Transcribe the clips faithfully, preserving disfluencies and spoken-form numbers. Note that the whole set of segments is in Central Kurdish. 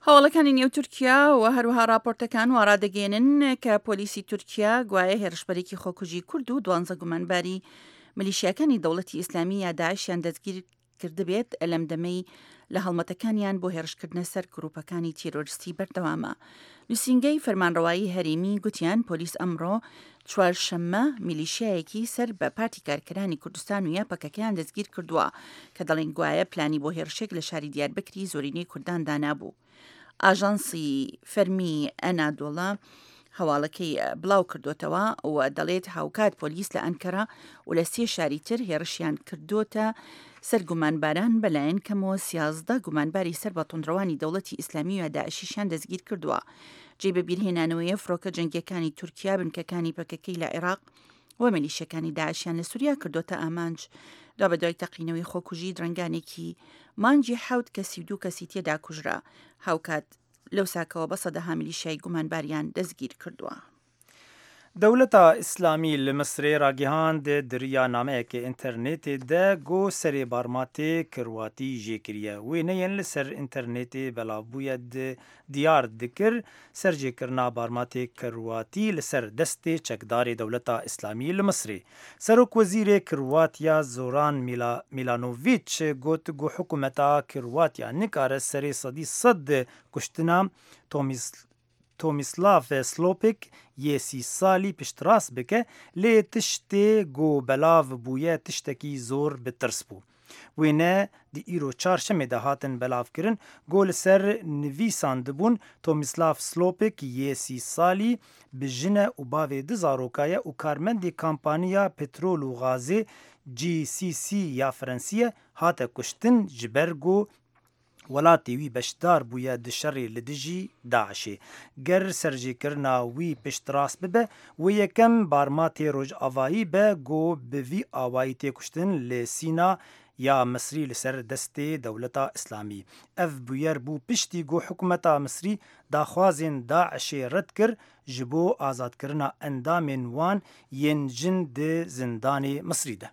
هەواڵەکانی نێو تورکیا و هەروەها راپۆرتەکان وا ڕادەگەیەنن کە پۆلیسی تورکیا گوایە هێرشبەرێکی خۆکوژی کورد و دوانزە گومانباری ملیشیاکانی دەوڵەتی ئیسلامی یا داعشیان دەستگیر کردبێت لەم دەمەی لە هەڵمەتەکانیان بۆ هێرشکردنە سەر گروپەکانی تیرۆرستی بەردەوامە. نووسینگەی فەرمانڕەوایی هەرێمی گوتیان پۆلیس ئەمڕۆ چوارشەممە میلیشیایەکی سەر بە پارتی کارکەرانی کوردستان و یا پەکەکەیان دەستگیر کردووە کە دەڵێن گوایە پلانی بۆ هێرشێک لە شاری دیاربەکری زۆرینەی کوردان دانابوو. ئاژانسی فەرمی ئەنادۆڵە هەواڵەکەی بڵاو کردوتەوە و دەڵێت هاوکات پۆلیس لە ئەنکەرە و لە سێ شاری تر هێرشیان کردوتە سەر گومانباران بەلایەن کەمەوە سیازدە گومانباری سەر بە توندڕەوانی دەوڵەتی ئیسلامی و داعشیشیان دەستگیر کردووە. جێی بەبیرهێنانەوەیە فڕۆکە جەنگیەکانی تورکیا بنکەکانی پەکەکەی لە عێراق و میلیشیەکانی داعشیان لە سووریا کردوتە ئامانج. دوابەدوای تەقینەوەی خۆکوژی درەنگانێکی مانگی حەوت کەسی و دوو کەسی تێدا کوژرا. هاوکات لەو ساکەوە بە سەدەها میلیشیای گومانباریان دەستگیر کردووە. Dewleta Îslamî li Misrê ragihand di nameyeke înternetê de got serê barmatê Kirwatî jê kiriye. Wêneyên li ser înternetê belav bûye diyar dikir serjêkirina barmatê Kirwatî li ser destê çekdarê Dewleta Îslamî li Misrê. Serokwezîrê Kirwatiya Zoran Milanoviç got ku hikûmeta Kirwatiya nikare serê sedî sed kuştina Tomislav Slopik yê sî salî piştrast bike lê tiştê ku belav bûye tiştekî zor bi tirs bû. Wêne di îro çarşemê de hatin belavkirin ku li ser nivîsandibûn Tomislav Slopik yê sî salî bi jine û bavê du zaroka ye û karmendê kampaniya petrol û gazê G C C ya Fransî ye hate kuştin ji ber ku welatê wî beşdar bûye di şerê li dijî Daişê. Ger serjêkirina wî piştrast bibe, wê yekem barmatê rojavayî be ku bi vî awayî tê kuştin li Sîna ya Misrî li ser destê Dewleta Îslamî. Ev bûyer bû piştî ku hikûmeta Misrî daxwazên Daişê red kir ji bo azadkirina endamên wan yên jin di zindanê Misrî de.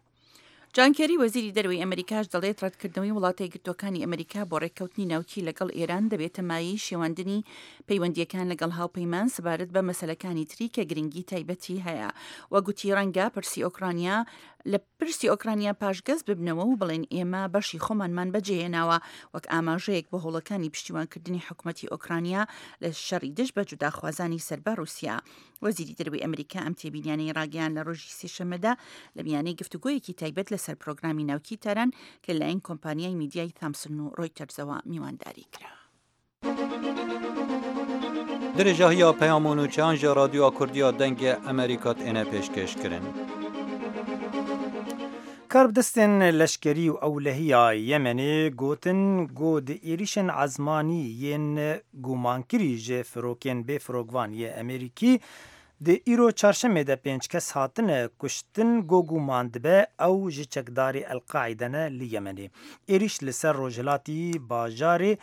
جان کێری وەزیری دەرەوەی ئەمریکاش دەڵێت ڕەتکردنەوەی وڵاتە یەکگرتووەکانی ئەمریکا بۆ ڕێککەوتنی ناوکی لەگەڵ ئێران دەبێتە مایەی شێواندنی پەیوەندیەکان لەگەڵ هاوپەیمان سەبارەت بە مەسەلەکانی تری کە گرنگی تایبەتی هەیە. وەگوتی ڕەنگە پرسی ئۆکرانیا لە پرسی ئۆکرانیا پاشگەز ببنەوە و بڵێن ئێمە بەشی خۆمانمان بەجێهێناوە وەک ئاماژەیەک بۆ هەوڵەکانی پشتیوانکردنی حکوومەتی ئۆکرانیا لە شەڕی دژ بە جوداخوازانی سەر بە ڕووسیا. وەزیری دەرەوەی ئەمریکا ئەم تێبینیانەی ڕاگەیان لە ڕۆژی سێشەممەدا لە میانەی گفتوگۆیەکی تایبەت لەسەر پرۆگرامی ناوکی تاران کە لەلایەن کۆمپانیای میدیای تامسن و ڕۆیتەرزەوە میوانداری کرا. Dirêjahiya peyam û nûçeyan ji Radyoya Kurdî ya Dengê Amerîka têne pêşkêşkirin. Karbidestên leşkerî û ewlehiya Yemenê gotin ku di êrişên ezmanî yên gumankirî ji firokên bêfirokvan yê Amerîkî di îro çarşemê de pênc kes hatine kuştin ku guman dibe ew ji çekdarê El-Qaîde ne li Yemenê. Êriş li ser rojhilatî bajarê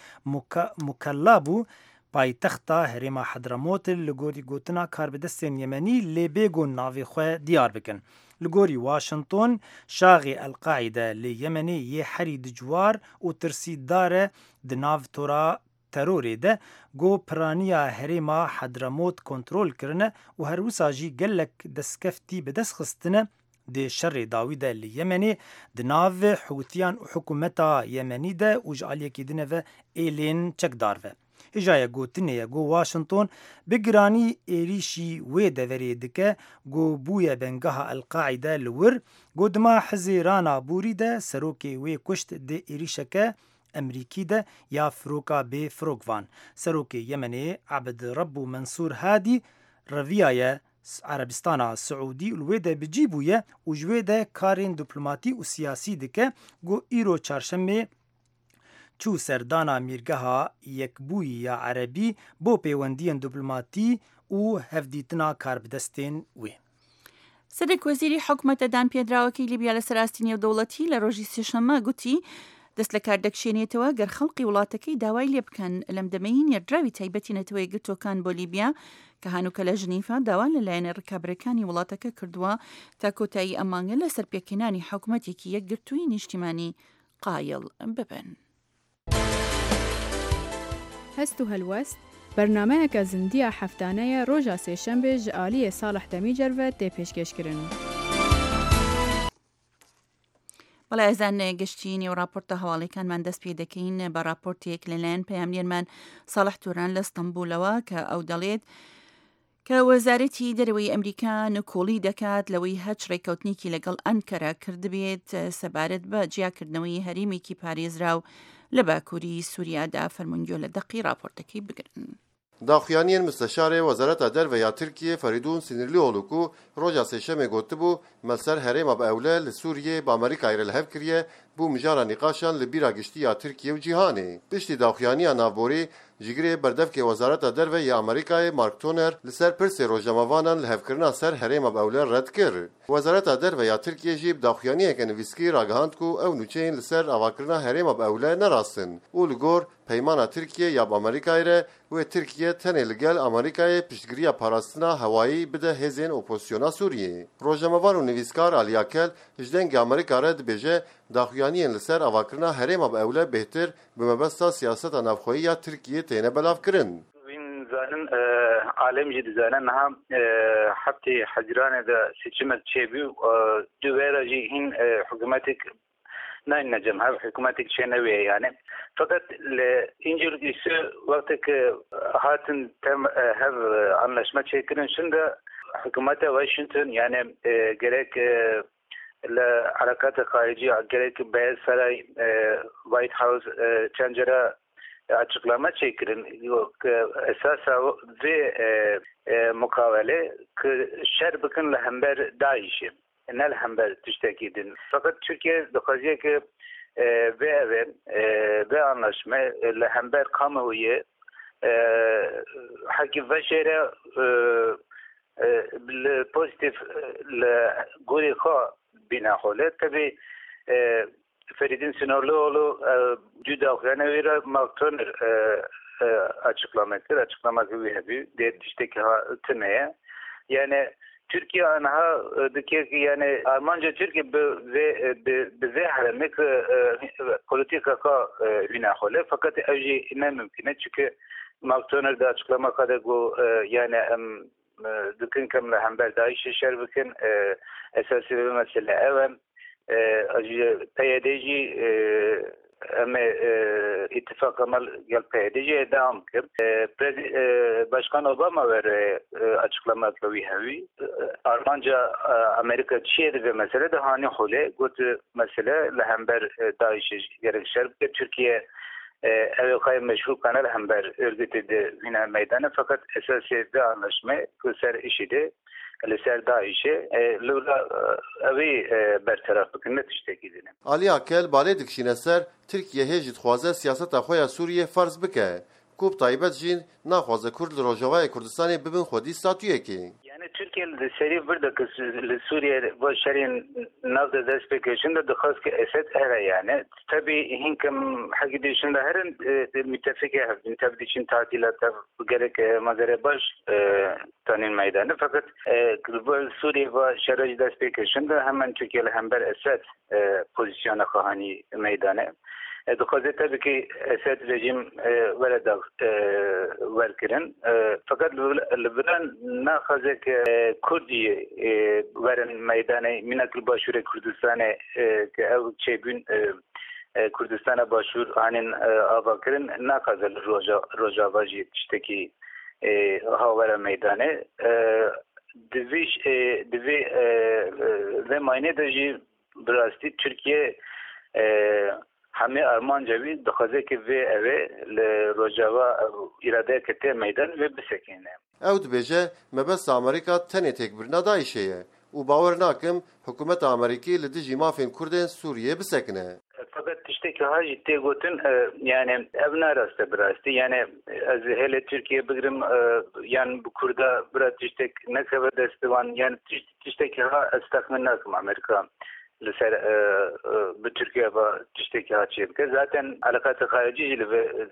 Mukella bû paytexta herêma Hedremot li gorî gotina karbidestên Yemenî lê bêgon navê xwe diyar bikin. Li gorî Washington şaxê El-Qaîde li Yemenê yê herî dijwar û tirsîdar e di nav tora terorê de got piraniya herêma Hedremot kontrol kirine û her wisa jî gelek destkeftî bi dest xistine di şerê dawî de li Yemenê di nav Hûtiyan û hikûmeta Yemenî de û ji aliyekî din ve êlên çekdar ve. Hêjaya gotinê ye ku Washington bi giranî êrişî wê deverê dike ku bûye bengeha El-Qaîde li wir ku di meha Hezîrana borî de serokê wê kuşt di êrişeke Amerîkî de ya firoka bêfirokvan. Serokê Yemenê Ebd Rebû Mensûr Hadî reviyaye Erebistana Siûdî û li wê de bi cî bûye û ji wê de karên diplomatî û siyasî dike ku îro çarşemê çû serdana Mîrgeha Yekbûyî ya Erebî bo pêwendiyên diplomatî û hevdîtina karbidestên wê. سەرۆک وەزیری حکومەتە دانپێدراوەکەی لیبیا لەسەر ئاستی نێودەوڵەتی لە ڕۆژی سێشەممە گوتی دەست لە کار دەکشێنێتەوە گەر خەڵقی وڵاتەکەی داوای لێ بکەن. لەم دەمەی نێردراوی تایبەتی نەتەوە یەکگرتووەکان بۆ لیبیا کە هەنووکە لە ژنیفا داوا لە لایەنە ڕکابەرەکانی وڵاتەکە کردووە تا کۆتایی ئەم مانگە لەسەر پێکهێنانی حکوومەتێکی یەکگرتووی نیشتیمانی قایل ببن. Hest û Helwest bernameyeke zindiya heftaneye roja sêşembê ji aliyê Salih Demîcer ve tê pêşkêşkirin. بەڵێ ئازیزان گەشتینی و راپۆرتە هەواڵەکانمان دەست پێ دەکەین بە راپۆرتێک لەلایەن پەیامنێرمان ساڵح توران لە ئەستەنبوڵەوە کە ئەو دەڵێت کە وەزارەتی دەرەوەی ئەمریکا نکۆڵی دەکات لەوەی هەچ ڕێککەوتنێکی لەگەڵ ئەنکەرە کردبێت سەبارەت بە جیاکردنەوەی هەرێمێکی پارێزراو لە باکووری سووریادا. فەرمونگیۆ لە دەقی راپۆرتەکەی بگرن. Daxuyaniyên Misteşarê Wezareta Derve ya Tirkiyê Feridun Sinirlioğlu ku roja sêşemê gotibû me ser herêma bi ewle li Sûriyê bi Amerîkayê re li hev kiriye bû mijara nîqaşan li bîra giştî ya Tirkiye û cîhanê. Piştî daxuyaniya navborî jigirê berdevkê Wezareta Derve ya Amerîkayê Mark Toner li ser pirsê rojnamevanan li hevkirina ser herêma bi ewle red kir. Wezareta Derve ya Tirkiyê jî bi daxuyaniyeke nivîskî ragihand ku ew nûçeyên li ser avakirina herêma bi ewle nerastin û li gor peymana Tirkiye ya bi Amerîkayê re wê Tirkiye tenê li gel Amerîkayê piştgiriya parastina hewayî bide hêzên opozisyona Sûriyê. Rojnamevan û nivîskar Ali Akel ji dengê Amerîka re dibêje daxuyaniyên li ser avakirina herêma bi ewle bêhtir bi mebesta siyaseta navxweyî ya Tirkiyê têne belavkirin. Zanin alem jî dizane niha heftê Hezîranê de seçimek çêbû du jî hîn hikûmetek nayne cem hev hikûmetek çênewê yani. Fakat İncirlisi vakti hatin tem hev anlaşma çêkirin şimdi hükümete Washington yani e, gerek e, le harekat-ı harici gerek Beyaz Saray e, White House e, çencere açıklama çekirin. Yok esasa ve e, e, mukavele ki şer bikin li hember DAEŞ'i ne li hember tiştekî din. Fakat Türkiye dixwaziye ki ve ev ve anlaşma li hember kamuoyu haki veşere pozitif li gorî xwe bîna hole. Tabii Feridun Sinirlioğlu dü daxuyana wî Mark Toner açıklama kir, açıklama wî hebû dê tiştekî tune ye. Yani Türkiye anha dike yani Almanca Türkiye bi ve bi ve heremek politika ka bina hole fakat ev jî ne mümkün çünkü Mark Toner de açıklama kadar go yani em dikin kem li hember DAEŞ'ê şer bikin esasî bir mesele ev em P Y D jî em ittifak amal gel P Y D jî devam kir. Başkan Obama ver açıklama wî hevî. Almanca Amerika çi ve mesele de hani hole got mesele li hember DAEŞ'ê gerek şer bike. Türkiye ev xay meşru kanal hember örgütü de yine meydana fakat esası de anlaşma ser işi de li ser DAEŞ'ê li evi bertaraf bikin ne tiştekî din. Ali Akel balê dikişîne ser Tirkiye hê jî dixwaze siyaseta xwe ya Sûriyê ferz bike. Ku bi taybet jî naxwaze Kurd li Rojavayê Kurdistanê bibin xwedî statuyekê. Yani Türkiye li serî bir de li Suriye bu şerên nav de dest pê kir de dixwast ki Esed here yani. Tabii hinkim hekî dişin de herin müttefike hev tabii için tatilata gerek mazere baş tanın meydanı fakat bu Suriye ve şerê dest pê kir de hemen Türkiye li hember Esed pozisyona xwe meydanı. Dixwaze tabii ki Esed rejim were da werkirin fakat li viran naxwaze ki Kurdî werin meydanê mînak li Başûrê Kurdistanê ki ew çêbûn Kurdistana Başûr anîn avakirin naxwaze li Rojava jî tiştekî ha were meydanê divê divê vê maynê de jî bi rastî Türkiye Hemî armanca wî dixwaze ki vê evê li Rojava îradeyeke tê meydan ve bisekîne. Ew dibêje mebesta Amerîka tenê têkbirina DAEŞ'ê ye û bawer nakim hikûmeta Amerîkî li dijî mafên Kurdên Sûriyê bisekine. Fakat tiştekî ha jî tê gotin yani ev nerast e bi rastî yani ez hêlê Türkiye bigirim yan bi Kurda bira tiştek nekeve destê wan yani tiştekî ha ez texmin nakim Amerîka li ser bi Türkiye ve tiştekî ha çê bike. Zaten alakatı harici jî li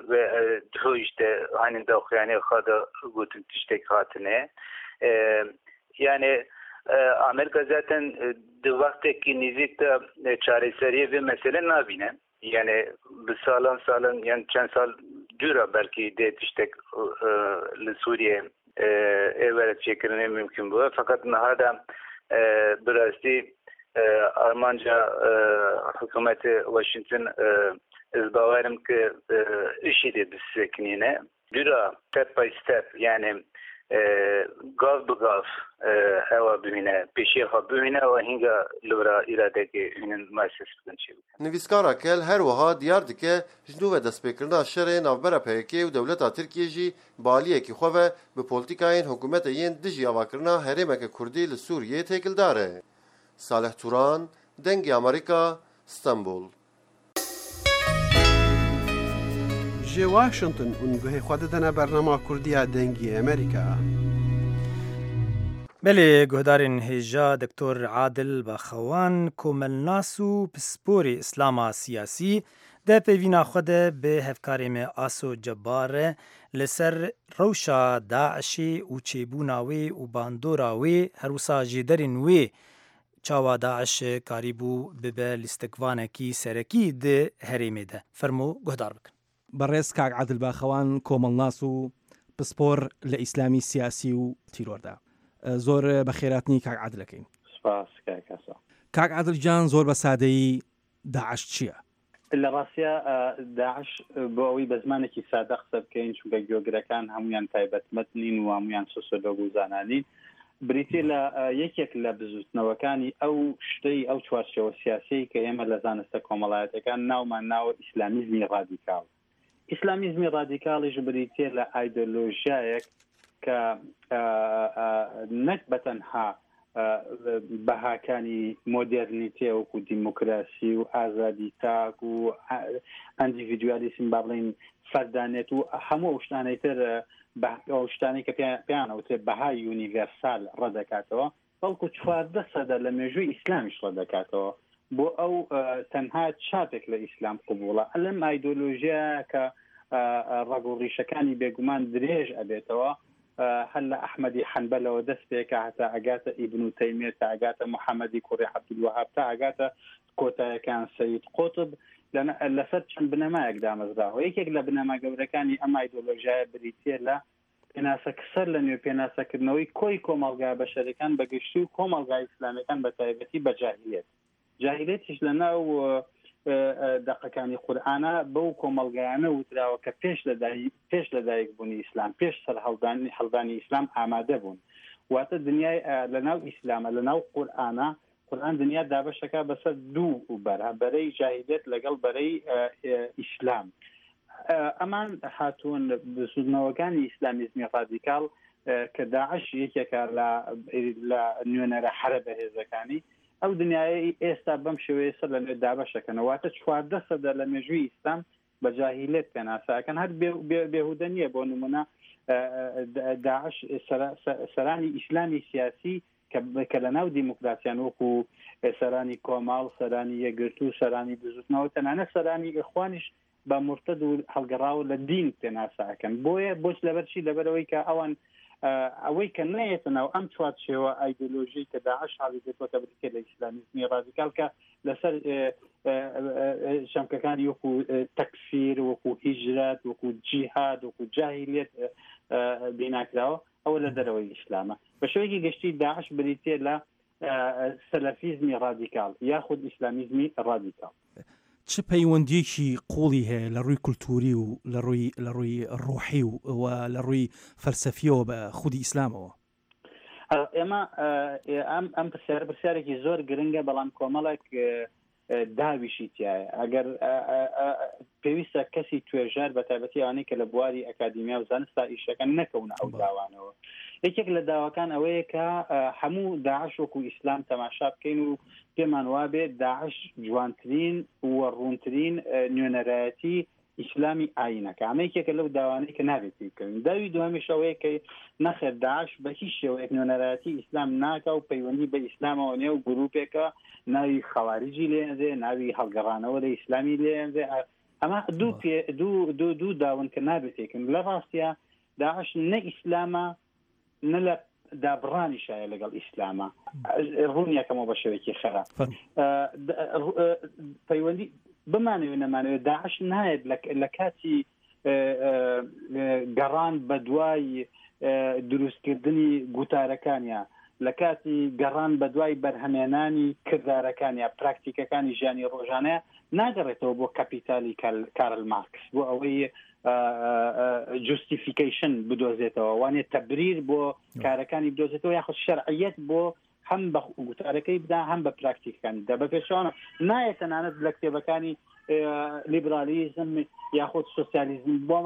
ve duhu işte hani daxuyanî xwe de gotin tiştek hatine. Yani Amerika zaten di wextekî nêzik de çareseriyê vê mesele nabîne. Yani bi salan salan yani çend sal Dûra belkî dê tiştek li Sûriyê êwere çêkirinê mümkün bû. Fakat niha de bi rastî armanca hikûmetê Washington ez bawerim ki IŞİD'ê bisekinîne. Dûra step by step yani gav bi gav ewa bihîne pêşiya xwe bihîne û hînga li vira îradekê hînin muesses bikin çê bikin. Nivîskara kel her wiha diyar dike ji nû ve destpêkirina şerê navbera P K û dewleta Tirkiyê jî bi aliyekî xwe ve bi polîtîkayên hikûmetê yên dijî avakirina herêmeke Kurdî li Sûriyê têkildar e. Salih Turan, Dengê Amerîka, Stenbol. Ji Washington û guhê xwe didine bernama Kurdiya Dengê Amerîka. Belê guhdarên hêja Doktor Adil Baxewan komelnas û pisporê İslama siyasî de peyvîna xwe de bi hevkarê me Aso Cebar re li ser rewşa Daişê û çêbûna wê û bandora wê her wisa jêderên wê çawa Daiş karîbû bibe lîstikvanekî serekî di herêmê de. Fermo guhdar bikin. بەڕێز کاک عادل باخەوان کۆمەڵناس و پسپۆر لە ئیسلامی سیاسی و تیرۆردا. زۆر بەخێراتنی کاک عادلەکەین. سپاس کاک ئاسۆ. کاک عادل گیان زۆر بە سادەیی داعش چییە؟ لە ڕاستیا داعش بۆ ئەوەی بە زمانێکی سادە قسە بکەین چونکە گوێگرەکان هەمویان تایبەتمەند نین و هەمویان سۆسیۆلۆگ و زانانین، بریتیە لە یەکێک لە بزوتنەوەکانی ئەو شتەی ئەو چوارچێوە سیاسیەی کە ئێمە لە زانستە کۆمەڵایەتەکان ناومان ناوە ئیسلامیزمی ڕادیکاڵ. ئیسلامیزمی ڕادیکاڵیش بریتیە لە ئایدۆلۆژیایەک کە نەک بەتەنها بەهاکانی مۆدێرنیتێ وەکو دیموکراسی و ئازادی تاک و ئەندیڤیدوالیسم با بڵێین فەردانێت و هەموو ئەو شتانەی تر ئەو شتانەی کە پێیان ئەوترێ بەهای یونیڤێرسال ڕەدەکاتەوە، بەڵکو چواردە سەدە لە مێژووی ئیسلامیش ڕەدەکاتەوە. بۆ ئەو تەنها چاپێک لە ئیسلام قبوڵە. لەم ئایدۆلۆژیا کە ڕەگ و ڕیشەکانی بێگومان درێژ ئەبێتەوە، هەر لە ئەحمەدی حەنبەلەوە دەست پێکە هەتا ئەگاتە ئیبن تەیمیە، تا ئەگاتە محەممەدی کوڕی عەبدولوەهاب، تا ئەگاتە کۆتایەکان سەید قوتب، لەسەر چەند بنەمایەک دامەزراوە. یەکێک لە بنەما گەورەکانی ئەم ئایدۆلۆژیایە بریتیە لە پێناسەکسەر لە نوێ پێناسەکردنەوەی کۆی کۆمەڵگا بەشەرەکان بەگشتی و کۆمەڵگا ئیسلامیەکان بە تایبەتی بە جاهلیەت. جاهلیەتیش لە ناو دەقەکانی قورئانە بەو کۆمەڵگایانە وتراوە کە پێش پێش لەدایک بوونی ئیسلام، پێش سەرهەڵدانی هەڵدانی ئیسلام ئامادە بوون. واتە دنیای لە ناو ئیسلامە، لە ناو قورئانە، قورئان دنیا دابەشەکە بەسەر دوو بەرە، بەرەی جاهلیەت لەگەڵ بەرەی ئیسلام. ئەمان هاتوون بزوتنەوەکانی ئیسلامیزمی ڕادیکاڵ کە داعش یەکێکە لە نوێنەرە حەرە بەهێزەکانی ئەو دنیای ئێستا بەم شێوەیە سەر لە نوێ دابەشەکەنەوە. واتە چواردە سەدە لە مێژووی ئیسلام بە جاهیلێت پێناساکەن. هەر بێهودە نییە. بۆ نمونە داعش سەرانی ئیسلامی سیاسی کە لە ناو دیموکراسیان وەکو سەرانی کۆماڵ، سەرانی یەکگرتوو، سەرانی بزوتنەوە، تەنانەت سەرانی ئیخوانیش بە مرتد و هەڵگەڕاوە لە دین پێناساکەن. بۆیە بۆچ لەبەرچی؟ لەبەرەوەی کە ئەوان ئەوەی کە نەیەتە ناو ئەم چوارچێوە ئایدۆلۆژی کە داعش حاڵی دێتەوە کە بریتیە لە ئیسلامیزمی ڕادیکال کە لەسەر چەمکەکانی وەکو تەکفیر، وەکو هیجرەت، وەکو جیهاد، وەکو جاهیلیەت بیناکراوە، ئەوە لە دەرەوەی ئیسلامە. بە شێوەیەکی گشتی داعش بریتیە لە سەلەفیزمی ڕادیکال یاخود ئیسلامیزمی ڕادیکال. چ پەیوەندیەکی قوڵی هەیە لە ڕووی کولتوری و لە ڕووی لە ڕووی ڕۆحی و لە ڕووی فەلسەفیەوە بە خودی ئیسلامەوە؟ ئێمە ئەم ئەم پرسیارە پرسیارێکی زۆر گرنگە، بەڵام کۆمەڵێک داویشی تایە. ئەگەر پێویستە کەسی توێژەر بە تایبەتی ئەوانەی کە لە بواری ئەکادیمیا و زانستا ئیشەکەن نەکەونە ئەو داوانەوە. یەکێک لە داواکان ئەوەیە کە هەموو داعش وەکو ئیسلام تەماشا بکەین و پێمان وابێ داعش جوانترین و ڕوونترین نوێنەرایەتی ئیسلامی ئاینەکە. ئەمە یەکێکە لەو داوانەی کە نابێت بکەوین. داوی دووەمیش ئەوەیە کە نەخێر داعش بە هیچ شێوەیەک نوێنەرایەتی ئیسلام ناکا و پەیوەندی بە ئیسلامەوە نییە و گروپێکە ناوی خەواریجی لێنرێ، ناوی هەڵگەڕانەوە لە ئیسلامی لێنرێ. ئەمە دوو دوو دوو دوو داون کە نابێت تێکن. لە ڕاستیا داعش نە ئیسلامە نە لە دابڕانیشایە لەگەڵ ئیسلامە. ڕوونیەکەمەوە بە شێوەیەکی خراپ پەیوەندی بمانەوێ نەمانەوێ داعش نایەت لە کاتی گەڕان بە دوای دروستکردنی گوتارەکانیا، لە کاتی گەڕان بە دوای بەرهەمێنانی کردارەکانیا، پراکتیکەکانی ژیانی ڕۆژانەیە، ناگەڕێتەوە بۆ کەپیتالی کارل مارکس بۆ ئەوەی justification بدۆزێتەوە، وانێ تەبریر بۆ کارەکانی بدۆزێتەوە یاخود شەرعیەت بۆ هەم بە گوتارەکەی بدا هەم بە پراکتیکەکانی بدا. بە پێچەوانە نایە تەنانەت لە کتێبەکانی لیبرالیزم یاخود سوسیالیزم بۆ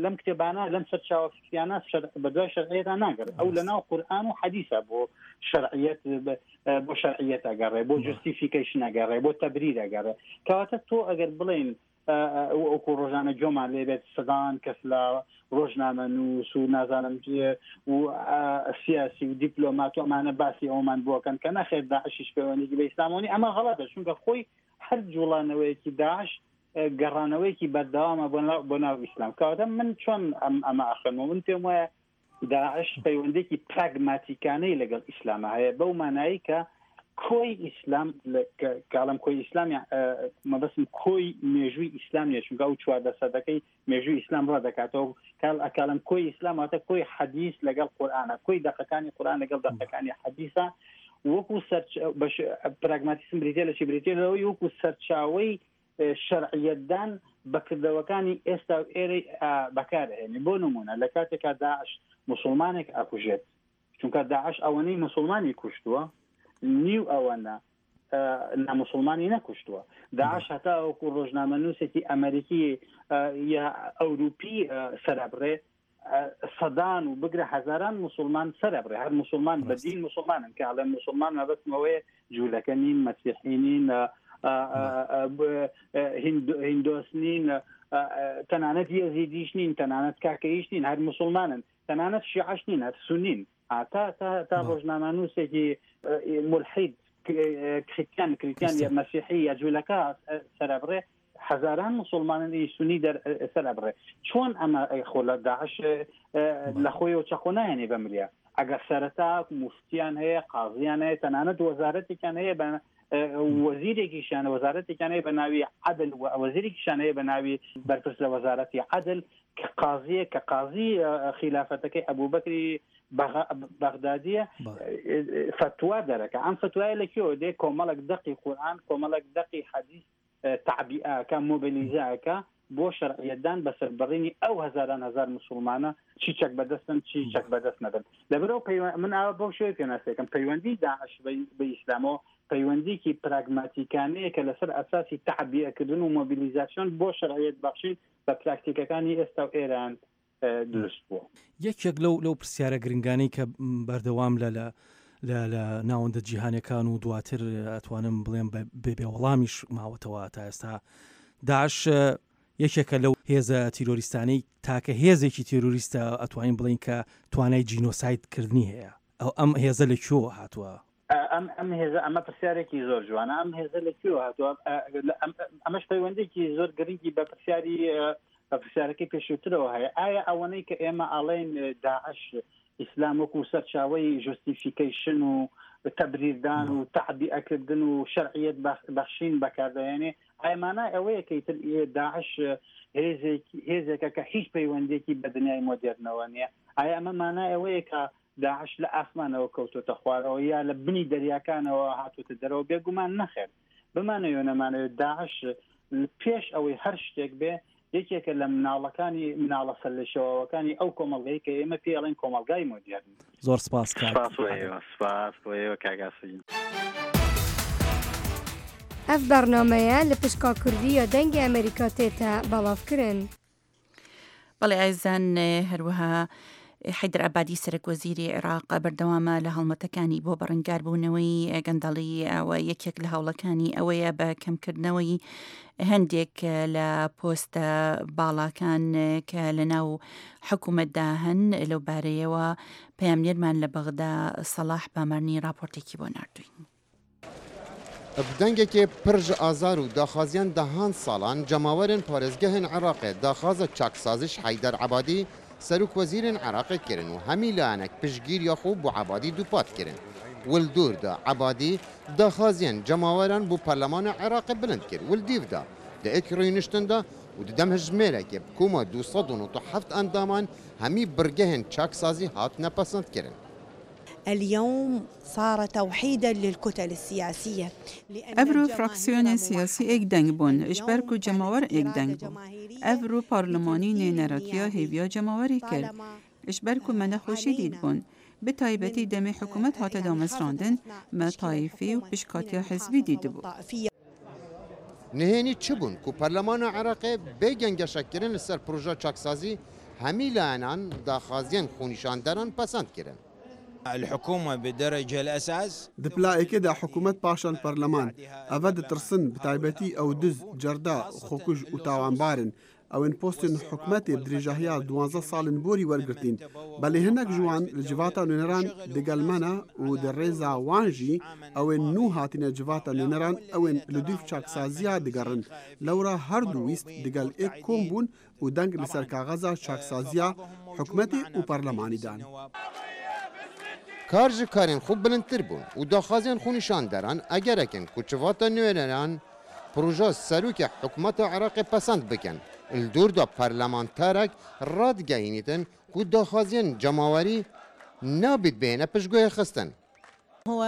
لەم کتێبانە لەم سەرچاوە فکریانە بە دوای شەرعیەتدا ناگەڕێت. ئەو لەناو قورئان و حەدیسە بۆ شەرعیەت بۆ شەرعیەت ئەگەڕێ، بۆ justification ئەگەڕێ، بۆ تەبریر ئەگەڕێ. کەواتە تۆ ئەگەر بڵێن وەکو ڕۆژانە گۆمان لێبێت سەدان کەس لە ڕۆژنامە نووس و نازانم و سیاسی و دیپلۆمات و ئەمانە باسی ئەومان بۆکەن کە نەخێر داعشیش پەیوەندیی بە ئیسلامەوە، ئەمە غەڵەتە، چونکە خۆی هەر جوڵانەوەیەکی داعش گەڕانەوەیەکی بەردەوامە بۆ ناو ئیسلام. کەواتە من چۆن ئەمە ئەخوێنمەوە؟ من پێم وایە داعش پەیوەندێکی پراگماتیکانەی لەگەڵ ئیسلامە هەیە، بەو مانایی کە کۆی ئیسلام کاڵم کۆی ئیسلام مەبەستم کۆی مێژووی ئیسلام نیە، چونکە ئەو چواردە سەدەکەی مێژووی ئیسلام ڕا دەکاتەوە. ئەکاڵم کۆی ئیسلام واتە کۆی حەدیث لەگەڵ قورئانە، کۆی دەقەکانی قورئان لەگەڵ دەقەکانی حەدیثە. وەکو پراگماتیسم بریتیە لە چی؟ بریتیە لەوەی وەکو سەرچاوەی شەرعیەتدان بەکردەوەکانی ئێستا و ئێرەی بەکارهێنێ. بۆ نمونە لە کاتێکا داعش مسلمانێک ئاکوژێت، چونکە داعش ئەوەنەی مسلمانی کوشتووە نیو ئەوەنە نامسلمانی نەکوشتووە. داعش هەتا وەکو ڕۆژنامە نووسێکی ئەمریکی یا ئەوروپی سەرابڕێ سەدان و بگرە هەزاران مسلمان سەرابڕێ. هەر مسلمان بە دین مسلمانن، کە ئەڵێن مسلمان مەبەستمەوەیە جوولەکە نین، مەسیحی نین، هیندۆس نین، تەنانەت یەزیدیش نین، تەنانەت کاکەیش نین، هەر مسلمانن، تەنانەت شیعەش نین، هەر سونین. تا تا تا ڕۆژنامەنووسێکی ملحید کریستیان کریستیان یا مەسیحی یا جوولەکە سەرابڕێ هەزاران مسلمانانی سونی دەر سەرابڕێ. چۆن ئەمە خۆ لە داعش لە خۆیەوە چەقۆ نایەنێ بە مریا؟ ئەگەر سەرەتا موفتیان هەیە، قازیان هەیە، تەنانەت وەزارەتێکیان هەیە بە وەزیرێکیشیان وەزارەتێکیان هەیە بە ناوی عەدل، وەزیرێکیشیان هەیە بە ناوی بەرپرس لە وەزارەتی عەدل کە قازیە، کە قازی خیلافەتەکەی ئەبوبەکری بەغدادیە فتوا دەرەکە. ئەم فتوایە لە کوێوە دێ؟ کۆمەڵێک دەقی قورئان، کۆمەڵێک دەقی حەدیث تەعبیئەکە، مۆبیلیزەکە بۆ شەرعیەتدان بەسەربڕینی ئەو هەزاران هەزار مسلمانە چی چەک بەدەستن چی چەک بەدەست نەبن. لەبەرەوە من ئاوا بەو شێوەیە پێناسەکەم پەیوەندی داعش بە ئیسلامەوە پەیوەندیکی پراگماتیکانەیە کە لەسەر ئەساسی تەعبیەکردن و مۆبیلیزاسیۆن بۆ شەرعیەت بەخشین بە پراکتیکەکانی ئێستا و ئێران دروست بووە. یەکێک لەو لەو پرسیارە گرنگانەی کە بەردەوام لە لە لە ناوەندە جیهانەکان و دواتر ئەتوانم بڵێم بێ وەڵامیش ماوەتەوە تا ئێستا، داعش یەکێکە لەو هێزە تیرۆریستانەی تاکە هێزێکی تیرۆریستە ئەتوانین بڵین کە توانای جینۆساید کردنی هەیە. ئەو ئەم هێزە لە کوێوە هاتووە؟ ئەم ئەم هێزە، ئەمە پرسیارێکی زۆر جوانە. ئەم هێزە لە کوێوە هاتووە؟ ئەمەش پەیوەندێکی زۆر گرنگی بە پرسیاری بە پرسیارەکەی پێشووترەوە هەیە. ئایا ئەوەنەی کە ئێمە ئاڵێن داعش ئیسلام وەکو سەرچاوەی justification و تەبریردان و تەعبیئەکردن و شەرعیەت بەخشین بەکاردەهێنێ، ئایا مانای ئەوەیە کە ئیتر داعش هێزێکە کە هیچ پەیوەندێکی بە دنیای مۆدێرنەوە نییە؟ ئایا ئەمە مانای ئەوەیە کە داعش لە ئاسمانەوە کەوتۆتە خوارەوە یا لە بنی دەریاکانەوە هاتوتە دەرەوە؟ بێگومان نەخێر. بمانەوێ نەمانەوێت داعش پێش ئەوەی هەر شتێک بێ یەکێکە لە مناڵەکانی مناڵە سەرلێشێواوەکانی ئەو کۆمەڵگەی کە ئێمە پێڵێن کۆمەڵگای مۆدێرن. زۆر سپاس کاک. سپاس بۆ ئێوە، سپاس بۆ ئێوە کاک ئاسۆ. ئەف بەرنامەیە لە پشکا کوردی یا دەنگی ئەمریکا تێتە بەڵاوکردن. بەڵێ ئازیزان، هەروەها حەیدەر عەبادی سەرەک وەزیری عێراق بەردەوامە لە هەڵمەتەکانی بۆ بەڕەنگاربوونەوەی گەندەڵی و یەکێک لە هەوڵەکانی ئەوەیە بە کەمکردنەوەی هەندێک لە پۆستە باڵاکان کە لە ناو حکوومەتدا هەن. لەو بارەیەوە پەیامنێرمان لە بەغدا سەڵاح بامەرنی راپۆرتێکی بۆ ناردوین. بدەنگێکی پرژ ئازار و داخوازیان دەهان ساڵان جەماوەرن پارێزگەهن عێراقێ داخوازە چاکسازش حەیدەر عەبادی سەرۆک وەزیرن عێراقی کردن و هەمی لایەنێک پشتگیری خۆ بۆ عەبادی دووپات کردن. ولدوردا عەبادی داخوازیان جەماوەران بۆ پەرلەمان عێراقی بلند کرد ولدیڤدا لە ئێک ڕوینشتندا و di demhejmêrekê bi koma du sed û nod û heft endaman hemî birgehên çaksazî hatine pesendkirin. اليوم صار توحيدا للكتل السياسية. Evro fraksiyonên siyasî êk deng bûn, ji ber ku cemawer êk deng bû. Evro parlemanî nêneratiya hêviya cemawerî kir. Ji ber ku me nexweşî dîtbûn. Bi taybetî demê hikûmet hate damezrandin, me tayîfî û pişkatiya hizbî dîtibû. Nihênî çi bûn ku Parlemana Iraqê bê gengeşekirin li ser proja çaksazî hemî layenan daxwaziyên xwenîşanderan pesend kirin. الحكومة بدرجة الأساس Di pilayekê de hikûmet paşan parleman eve ditirsin bi taybetî ew diz, cerda, xwekuj û tawanbar in. Ew ên postên hikûmetê bi dirêjahiya duwazdeh salên borî wergirtîn. Belê hinek ji wan li civata nûneran digel me ne û di rêza wan jî ew ên nû hatine civata nûneran ew ên li dûv çaksaziya digerin. Lewra her du wîst digel êk kom bûn û deng li ser kaxeza çaksaziya hikûmetê û parlemanî dan. Kar ji karên xwe bilindtir bûn û daxwazên xwenîşanderan egerek in ku civata nûneran proja serokê hikûmeta Iraqê pesend bikin. Li dûr de parlamenterek radigehînîtin ku daxwazên cemawerî nabît bêne piştguhê xistin. هو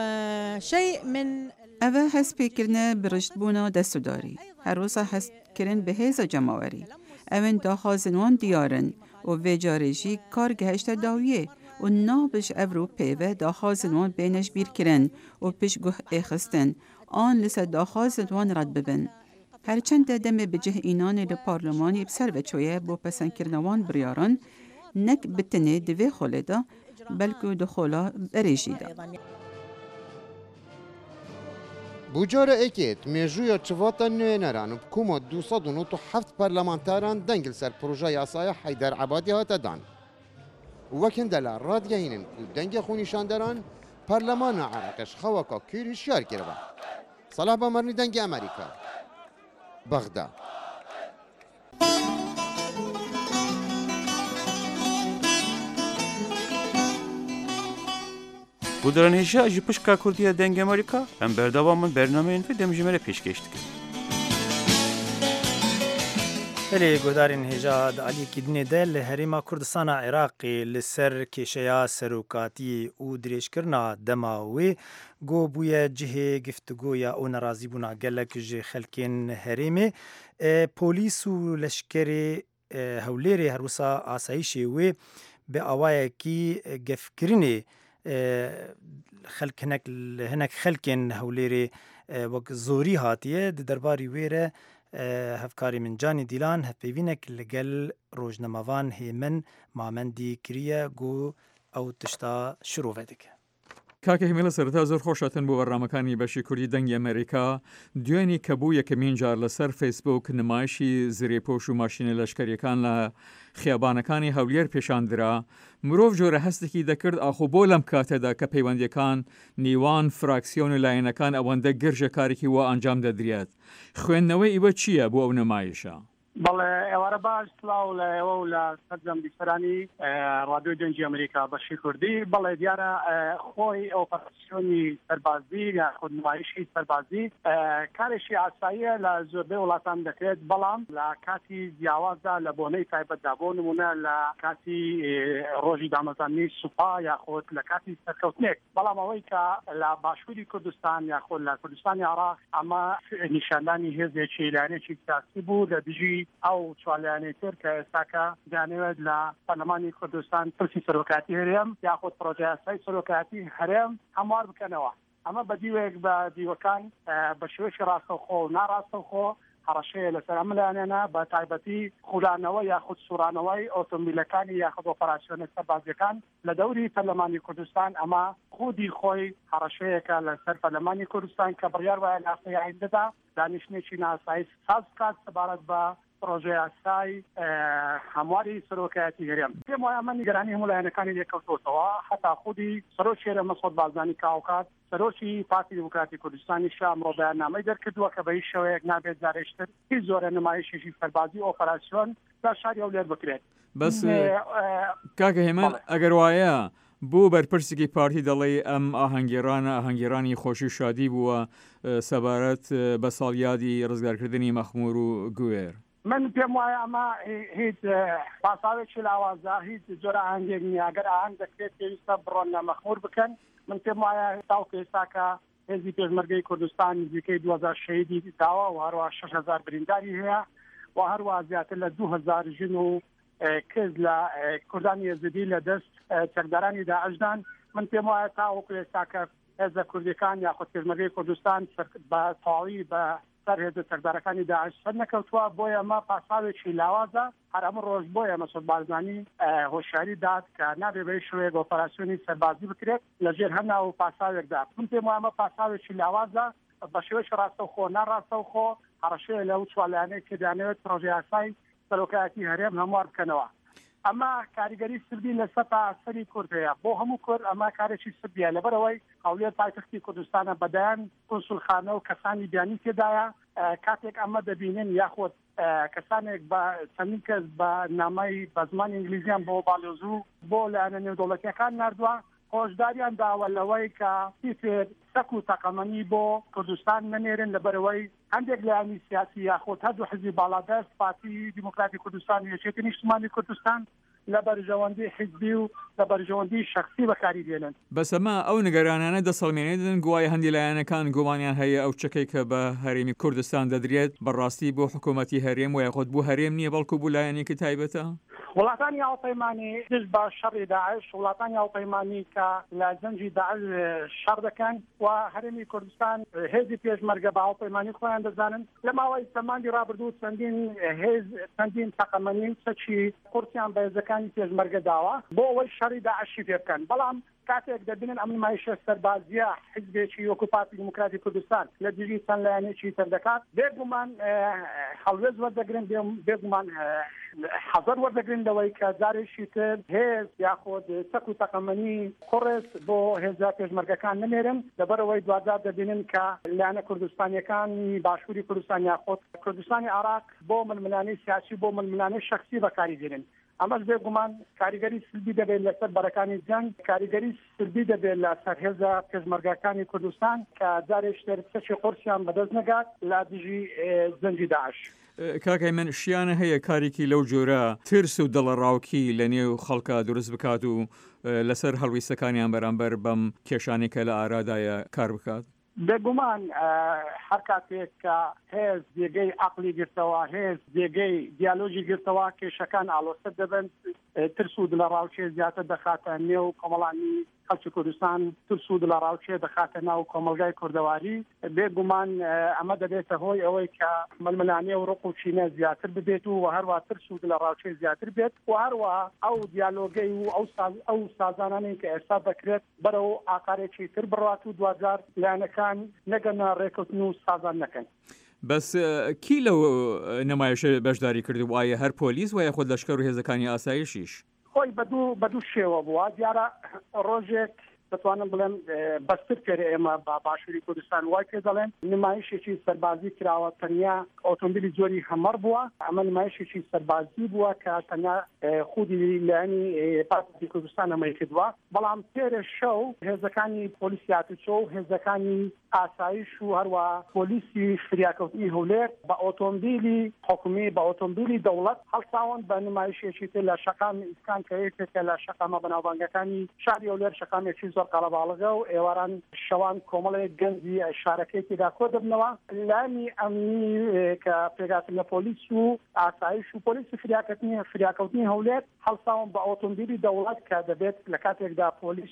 شيء من Ev e hestpêkirine bi riştbûna destûdarî. Her wisa hestkirin bi hêza cemawerî. Ew ên daxwazên wan diyar in û vê carê jî kar gihişte dawiyê û nabe ji evro pêve daxwazên wan bêne ji bîrkirin û piştguh êxistin an li ser daxwazên wan red bibin. Her çend demê bi cih înanê li parlemanê bi ser ve çûye bo pesendkirina wan biryaran, nek bi tenê di vê xolê de, belkû di xola berê jî de. Bû cara êkê mêjûya civata nûneran û bi koma du sed û nod û heft parlamenteran deng li ser proja yasaya Heyder Ebadî hate dan. Wek hindela radigehînin ku dengê xwenîşanderan parlemana Iraqê ji xewaka kûr hişyar kiribe. Salah Bamarnî Dengê Amerîka, Bexda. Guhdarên hêja ji pişka Kurdiya Dengê Amerîka em berdewam in bernameyên vê demjimêre pêşkêş dikin. Belê guhdarên hêja di aliyekî dinê de li Herêma Kurdistana Iraqê li ser kêşeya serokatiyê û dirêjkirina dema wê got bûye cihê giftigoya û nerazîbûna gelek ji xelkên herêmê. Polîs û leşkerê Hewlêrê her wisa asayîşê wê bi awayekî gefkirinê xelk hinek hinek xelkên Hewlêrê wek zorî hatiye di derbarî wê re hevkarê min Canî Dîlan hevpeyvînek li gel rojnamevan Hêmin Mamendî kiriye got ew tişta şirove dike. کاکە هێمن لە سەرەتا زۆر خۆشاتن بۆ بەرنامەکانی بەشی کوردی دەنگی ئەمریکا دوێنی کە بوو یەکەمین جار لەسەر فەیسبوک نمایشی زرێپۆش و ماشینە لەشکەریەکان لە خیابانەکانی هەولێر پێشاندرا، مرۆڤ جۆرە هەستێکی دەکرد ئاخۆ بۆ لەم کاتەدا کە پەیوەندیەکان نیوان فراکسیۆن و لایەنەکان ئەوەندە گرژە کارێکی وا ئەنجام دەدرێت. خوێندنەوەی ئیوە چییە بۆ ئەو نمایشە؟ بەڵێ ئێوارە باش، سڵاو لە ئێوە و لە سەرجەم بیسەرانی ڕادیۆی دەنگی ئەمریکا بەشی کوردی. بەڵێ دیارە خۆی ئۆپەراسیۆنی سەربازی یاخود نمایشی سەربازی کارێکی ئاساییە لە زۆربەی وڵاتان دەکرێت، بەڵام لە کاتی جیاوازدا لە بۆنەی تایبەتدا، بۆ نمونە لە کاتی ڕۆژی دامەزرانی سوپا یاخود لە کاتی سەرکەوتنێک. بەڵام ئەوەی کە لە باشووری کوردستان یاخود لە کوردستانی عێراق ئەمە نیشاندانی هێزێکی لایەنێکی سیاسی بوو لە دژی ئەو چوار لایەنەی تر کە ئێستاکە دەیانەوێت لە پەرلەمانی کوردستان پرسی سەرۆکاتی هەرێم یاخود پرۆژەیاسای سەرۆکاتی هەرێم هەموار بکەنەوە. ئەمە بە دیوێک بە دیوەکان بە شێوەیەکی ڕاستەوخۆ و ناڕاستەوخۆ هەڕەشەیە لەسەر ئەم لایەنانە، بە تایبەتی خولانەوە یاخود سوورانەوەی ئۆتۆمبیلەکانی یاخود ئۆپەراسیۆنە سەربازیەکان لە دەوری پەرلەمانی کوردستان. ئەمە خودی خۆی هەڕەشەیەکە لەسەر پەرلەمانی کوردستان کە بڕیار وایە لە هەفتەی ئایندەدا دانیشتنێکی ناسایی ساز بکات سەبارەت بە پرۆژەیاسای هەمواری سەرۆکایەتی هەرێم. پێم وایە ئەمە نیگەرانی هەموو لایەنەکانی لێکەوتۆتەوە، حتا خودی سەرۆکی هەرێم مەسعود بارزانی کە هاوکات سەرۆکی پارتی دیموکراتی کوردستانی شا ئەمڕۆ بەیاننامەی دەرکردووە کە بە هیچ شێوەیەک نابێت جارێکتر هیچ جۆرە نمایشێکی سەربازی ئۆپەراسیۆن لە شاری هەولێر بکرێت. بەس کاکە هێمن، ئەگەر وایە بۆ بەرپرسێکی پارتی دەڵێ ئەم ئاهەنگێرانە ئاهەنگێرانی خۆشی شادی بووە سەبارەت بە ساڵیادی ڕزگارکردنی مەخمور و گوێر؟ من پێم وایە ئەمە هیچ پاساوێکی لاوازە، هیچ جۆرە ئاهەنگێک نییە. ئەگەر ئاهەنگ دەکرێت پێویستە بڕۆن لە مەخمور بکەن. من پێم وایە تاوەکو ئێستاکە هێزی پێشمەرگەی کوردستان نزیکەی دوو هەزار شەهیدی داوە و هەروە شەش هەزار برینداری هەیە و هەروە زیاتر لە دوو هەزار ژن و کز لە کوردانی ئێزدی لە دەست چەکدارانی داعشدان. من پێم وایە تاوەکو ئێستاکە هێزە کوردیەکان یاخود پێشمەرگەی کوردستان بە تەواوی بە سەر هێزە چەکدارەکانی داعش سەر نەکەوتووە، بۆیە ئەمە پاساوێکی لاوازە. هەر ئەم ڕۆژ بۆیە مەسعود بارزانی هۆشیاری داد کە نابێ بە هیچ شێوەیەک ئۆپەراسیۆنی سەربازی بکرێت لەژێر هەر ناو و پاساوێکدا. من پێم وایە ئەمە پاساوێکی لاوازە، بە شێوەیەکی ڕاستەوخۆ ناڕاستەوخۆ هەڕەشەیە لەو چوار لایەنەی کە دەیانەوێت پرۆژە یاسای سەرۆکایەتی هەرێم هەموار بکەنەوە. ئەمە کاریگەری سلبی لەسەر سەری کورد هەیە، بۆ هەموو کورد ئەمە کارێکی سلبیە، لەبەرئەوەی هەولێر پایتەختی کوردستانە، بەدایان کونسولخانە و کەسانی بیانی تێدایە. کاتێک ئەمە دەبینن یاخود کەسانێک بە چەندین کەس بە نامەی بە زمانی ئینگلیزیان بۆ باڵیۆزو بۆ لایەنە نێودەوڵەتیەکان ناردووە، هۆشداریان داوە لەوەی کە چیتر چەک و تەقەمەنی بۆ کوردستان نەنێرن، لەبەرئەوەی هەندێک لایەنی سیاسی یاخود هەردوو حزبی باڵادەست پارتی دیموکراتی کوردستان و یەکێتی نیشتمانی کوردستان لە بەرژەوەندی حزبی و لە بەرژەوەندی شەخسی بەکاری دێنن. بەس ئەمە ئەو نیگەرانیانە دەسەڵمێنێتن گوایە هەندی لایەنەکان گومانیان هەیە ئەو چەکەی کە بە هەرێمی کوردستان دەدرێت بەڕاستی بۆ حکوومەتی هەرێم و یاخود بۆ هەرێم نییە بەڵکو بۆ لایەنێکی تایبەتە؟ وڵاتانی هاوپەیمانی دژ بە شەڕی داعش، وڵاتانی هاوپەیمانی کە لە جەنگی داعش شەڕ دەکەن و هەرێمی کوردستان هێزی پێشمەرگە بە هاوپەیمانی خۆیان دەزانن، لە ماوەی چەند مانگی ڕابردوو چەندین هێز چەندین تەقەمەنی و چەکی قورسیان بە هێزەکانی پێشمەرگە داوە بۆ ئەوەی شەڕی داعشی پێ بکەن. بەڵام کاتێک دەبینن ئەم نمایشە سەربازیە حزبێکی وەکو پارتی دیموکراتی کوردستان لە دژی چەند لایەنێکی تر دەکات، بێگومان هەڵوێست وەردەگرن، بێگومان حەزەر وەردەگرن لەوەی کە جارێکی تر هێز یاخود چەک و تەقەمەنی قوڕس بۆ هێزە پێشمەرگەکان نەنێرن، لەبەرئەوەی دواجار دەبینن کە لایەنە کوردستانیەکانی باشووری کوردستان یاخود کوردستانی عێراق بۆ ململانێی سیاسی بۆ ململانێی شەخسی بەکاری دێنن. ئەمەش بێگومان کاریگەری سلبی دەبێت لەسەر بەرەکانی جەنگ، کاریگەری سلبی دەبێت لەسەر هێزە پێشمەرگەکانی کوردستان کە جارێکی تر چەکی قورسیان بەدەست نەگات لە دژی جەنگی داعش. کاک هەیمەن، شیانە هەیە کارێکی لەو جۆرە ترس و دڵەڕاوکی لە نێو خەڵکا دروست بکات و لەسەر هەڵویستەکانیان بەرامبەر بەم کێشانەی کە لە ئارادایە کار بکات؟ بێگومان هەر کاتێک کە هێز جێگەی عەقڵی گرتەوە، هێز جێگەی دیالۆگی گرتەوە، کێشەکان ئاڵۆزتر دەبن، ترس و دڵەڕاوکێ زیاتر دەخاتە نێو کۆمەڵانی خەڵکی کوردستان، ترس و دڵەڕاوکێ دەخاتە ناو کۆمەڵگای کوردەواری. بێگومان ئەمە دەبێتە هۆی ئەوەی کە ململانێ و ڕق و کینە زیاتر ببێت و هەروە ترس و دڵەڕاوکێ زیاتر بێت و هەروە ئەو دیالۆگەی و ئەو ئەو سازانانەی کە ئێستا دەکرێت بەرەو ئاقارێکی تر بڕات و دواجار لایەنەکان نەگەنە ڕێکەوتن و سازان نەکەن. بەس کی لەو نمایشە بەشداری کردبوو؟ ئایا هەر پۆلیس وە یاخود لەشکر و هێزەکانی ئاسایشیش؟ خۆی بە دوو بە دوو شێوە بووە. دیارە ڕۆژێک دەتوانم بڵێم بەستر پێرە ئێمە بە باشووری کوردستان وای پێ دەڵێن نمایشێکی سەربازی کراوە، تەنیا ئۆتۆمبیلی جۆری هەمەڕ بووە. ئەمە نمایشێکی سەربازی بووە کە تەنیا خودی لایەنی پارتی کوردستان ئەمەی کردووە. بەڵام پێرە شەو هێزەکانی پۆلیسی هاتوچۆ و هێزەکانی ئاسایش و هەروە پۆلیسی فریاکەوتنی هەولێر بە ئۆتۆمبیلی حکومی بە ئۆتۆمبیلی دەوڵەت هەڵساون بە نمایشێکی تر لە شەقامی ئیسکان کە یەکێکە لە شەقامە بەناوبانگەکانی شاری هەولێر، شەقامێکی زۆر قەرەباڵغە و ئێواران شەوان کۆمەڵێک گەنجی شارەکەی تێدا کۆ دەبنەوە. لایەنی ئەمنی کە پێکهاتن لە پۆلیس و ئاسایش و پۆلیسی فریاکەوتنی فریاکەوتنی هەولێر هەڵساون بە ئۆتۆمبیلی دەوڵەت کە دەبێت لە کاتێکدا پۆلیس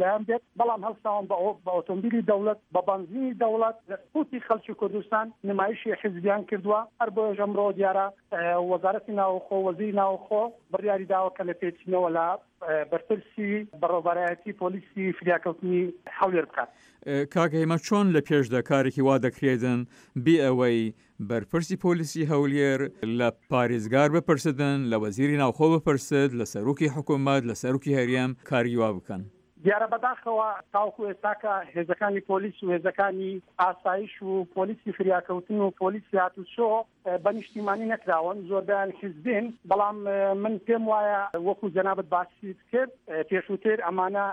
لایەن بێت، بەڵام هەڵساون بە ئۆتۆمبیلی دەوڵەت بە بەنزینی دەوڵەت لە قوتی خەڵکی کوردستان نمایشی حیزبیان کردووە. هەر بۆیەش ئەمڕۆ دیارە وەزارەتی ناوخۆ وەزیری ناوخۆ بڕیاری داوە کە لە پێچینەوە لە بەرپرسی بەڕێوەبەرایەتی پۆلیسی فریاکەوتنی هەولێر بکات. کاک هەیمەن، چۆن لە پێشدا کارێکی وا دەکرێتن بێ ئەوەی بەرپرسی پۆلیسی هەولێر لە پارێزگار بپرسدن، لە وەزیری ناوخۆ بپرسد، لە سەرۆکی حکوومەت، لە سەرۆکی هەرێم کاری وا بکەن؟ دیارە بەداخەوە تاوەکو ئێستاکە هێزەکانی پۆلیس و هێزەکانی ئاسایش و پۆلیسی فریاکەوتن و پۆلیسی هاتوچۆ بە نیشتیمانی نەکراون، زۆربیان حیزبین. بەڵام من پێم وایە وەکو جەنابت باسی کرد پێشووتر ئەمانە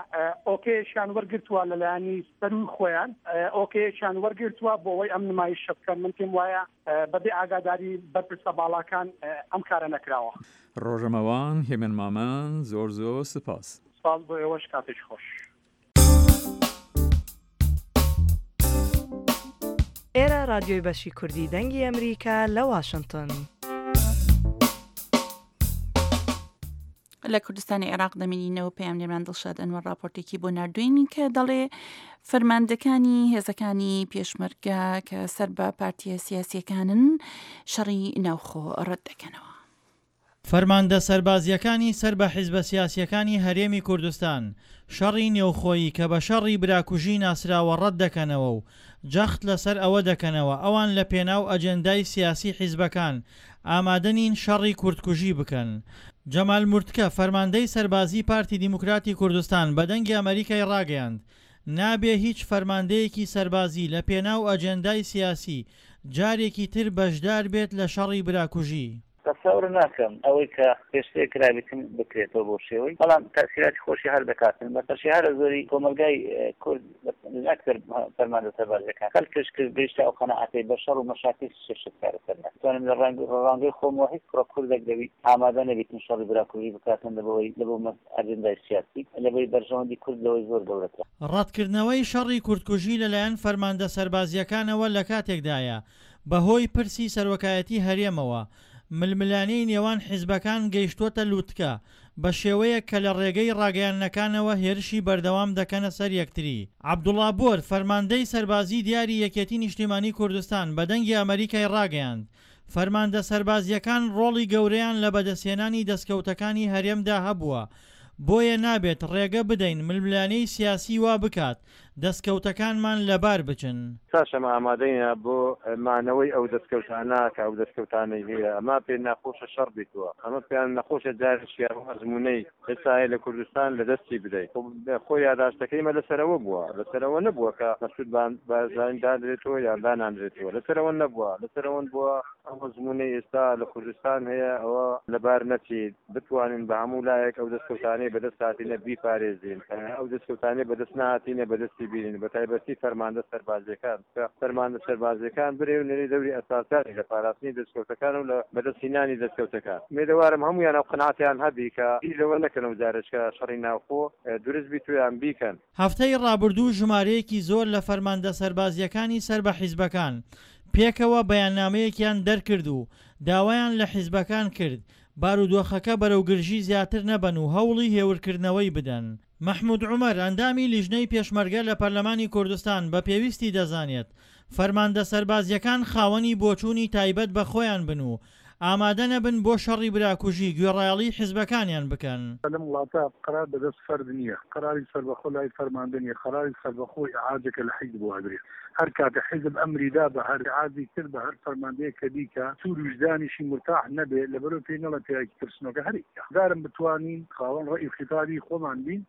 ئۆکەیەکیان وەرگرتووە لەلایەنی سەروی خۆیان، ئۆکەیەکیان وەرگرتووە بۆ ئەوەی ئەم نمایشە بکەن. من پێم وایە بەبێ ئاگاداری بەرپرسە باڵاکان ئەم کارە نەکراوە. ڕۆژەمەوان هێمن مامان، زۆر زۆر سپاس. سپاس بۆ ئێوەش، کاتێکی خۆش. ئێرە رادیۆی بەشی کوردی دەنگی ئەمریکا لە واشنگتن. لە کوردستانی عێراق دەمێنینەوە. پەیامنێرمان دڵشاد ئەنوەر راپۆرتێکی بۆ ناردوین کە دەڵێ فەرماندەکانی هێزەکانی پێشمەرگە کە سەر بە پارتیە سیاسیەکانن شەڕی ناوخۆ ڕەت دەکەنەوە. فەرماندە سەربازیەکانی سەر بە حیزبە سیاسیەکانی هەرێمی کوردستان شەڕی نێوخۆیی کە بە شەڕی براکوژی ناسراوە ڕەت دەکەنەوە و جەخت لەسەر ئەوە دەکەنەوە ئەوان لە پێناو ئەجێندای سیاسی حیزبەکان ئامادە نین شەڕی کوردکوژی بکەن. جەمال مورتکە فەرماندەی سەربازی پارتی دیموکراتی کوردستان بە دەنگی ئەمریکای ڕاگەیاند نابێ هیچ فەرماندەیەکی سەربازی لە پێناو ئەجێندای سیاسی جارێکی تر بەشدار بێت لە شەڕی براکوژی. تەسەور ناکەم ئەوەی کە پێشتر کرابێتن بکرێتەوە بۆ شێوەی، بەڵام تەسیراتی خۆشی هەر دەکاتن. بەتەشی هەرە زۆری کۆمەلگای کورد ئەکثر فەرماندە سەربازیەکان خەڵکش کرد گەیشتە ئەو قەناعەتەی بە شەڕ و مەشاکیل شت چارەسەر ناکات. توانم لە ڕەنگەی خۆمەوە هیچ کوڕە کوردێک لەوی ئامادە نەبێتن شەڕی براکوژی بکاتن لەبەوەی لەبۆ ئەجێندای سیاسی، لەبەوەی بەرژەوەندی کورد لەوەی زۆر گەورەترە. ڕەتکردنەوەی شەڕی کوردکوژی لەلایەن فەرماندە سەربازیەکانەوە لە کاتێکدایە بەهۆی پرسی سەرۆکایەتی هەرێمەوە ململانێی نێوان حیزبەکان گەیشتووەتە لوتکە بە شێوەیەک کە لە ڕێگەی ڕاگەیاندنەکانەوە هێرشی بەردەوام دەکەنە سەر یەکتری. عەبدوڵا بۆر فەرماندەی سەربازی دیاری یەکێتی نیشتیمانی کوردستان بە دەنگی ئەمریکای ڕاگەیاند فەرماندە سەربازیەکان ڕۆڵی گەورەیان لە بەدەستهێنانی دەستکەوتەکانی هەرێمدا هەبووە، بۆیە نابێت ڕێگە بدەین ململانێی سیاسی وا بکات دەستکەوتەکانمان لەبار بچن. تاش ئەمە ئامادەینە بۆ مانەوەی ئەو دەستکەوتانە کە ئەو دەستکەوتانەی هەیە. ئەمە پێ ناخۆشە شەڕ بیتوە، ئەمە پێیان نەخۆشە جارێکی ئەو ئەزمونەی ئێستا هەیە لە کوردستان لەدەستی بدەیت. خۆ یاداشتەکەیمە لەسەرەوە بووە، لەسەرەوە نەبووە کە مەسعود بارزانی دانرێتەوە یان دانانرێتەوە، لەسەرەوە نەبووە، لەسەرەوە بووە ئەو ئەزمونەی ئێستا لە کوردستان هەیە ئەوە لەبار نەچیت، بتوانین بە هەموو لایەک ئەو دەستکەوتانەی بەدەست هاتینە بیپارێزین، ئەو دەستکەوتانەی بەدەست نهاتینە بەدەستی بینین، بە تایبەتی فەرماندە سەربازیەکان کە فەرماندە سەربازیەکان برێ و نەری دەوری ئەساسانی لە پاراستنی دەستکەوتەکان و لە بەدەستهێنانی دەستکەوتەکان. مێدەوارم هەمویان ئەو قەناعەتیان هەبی کە بیر لەوە نەکەن و جارێکە شەڕی ناوخۆ دروست بیت و یان بیکەن. هەفتەی ڕابردوو ژمارەیەکی زۆر لە فەرماندە سەربازیەکانی سەر بە حیزبەکان پێکەوە بەیاننامەیەکیان دەرکرد و داوایان لە حیزبەکان کرد بارودۆخەکە بەرەو گرژی زیاتر نەبەن و هەوڵی هێورکردنەوەی بدەن. مەحمود عومەر ئەندامی لیژنەی پێشمەرگە لە پەرلەمانی کوردستان بە پێویستی دەزانێت فەرماندە سەربازیەکان خاوەنی بۆچوونی تایبەت بە خۆیان بن و ئامادە نەبن بۆ شەڕی براکوژی گوێڕایەڵی حیزبەکانیان بکەن. لەم وڵاتە قەرار بەدەست فەرد نییە، قەراری سەربەخۆ لای فەرماندە نییە، قەراری سەربەخۆ ئیعاجێکە لە حیزب وادرێ. هەر کاتە حیزب ئەمری دا بە هەر ئیعاجی کرد بە هەر فەرماندەیەک کە بیکا، سوور ویژدانیشی مورتاح نەبێ، لەبەرەوە پێی نەڵێ پیاوێکی ترسنۆکە، هەر ئیکا. دارم بتوانین خاوەن ڕەئی و خیتابی خۆمان بین،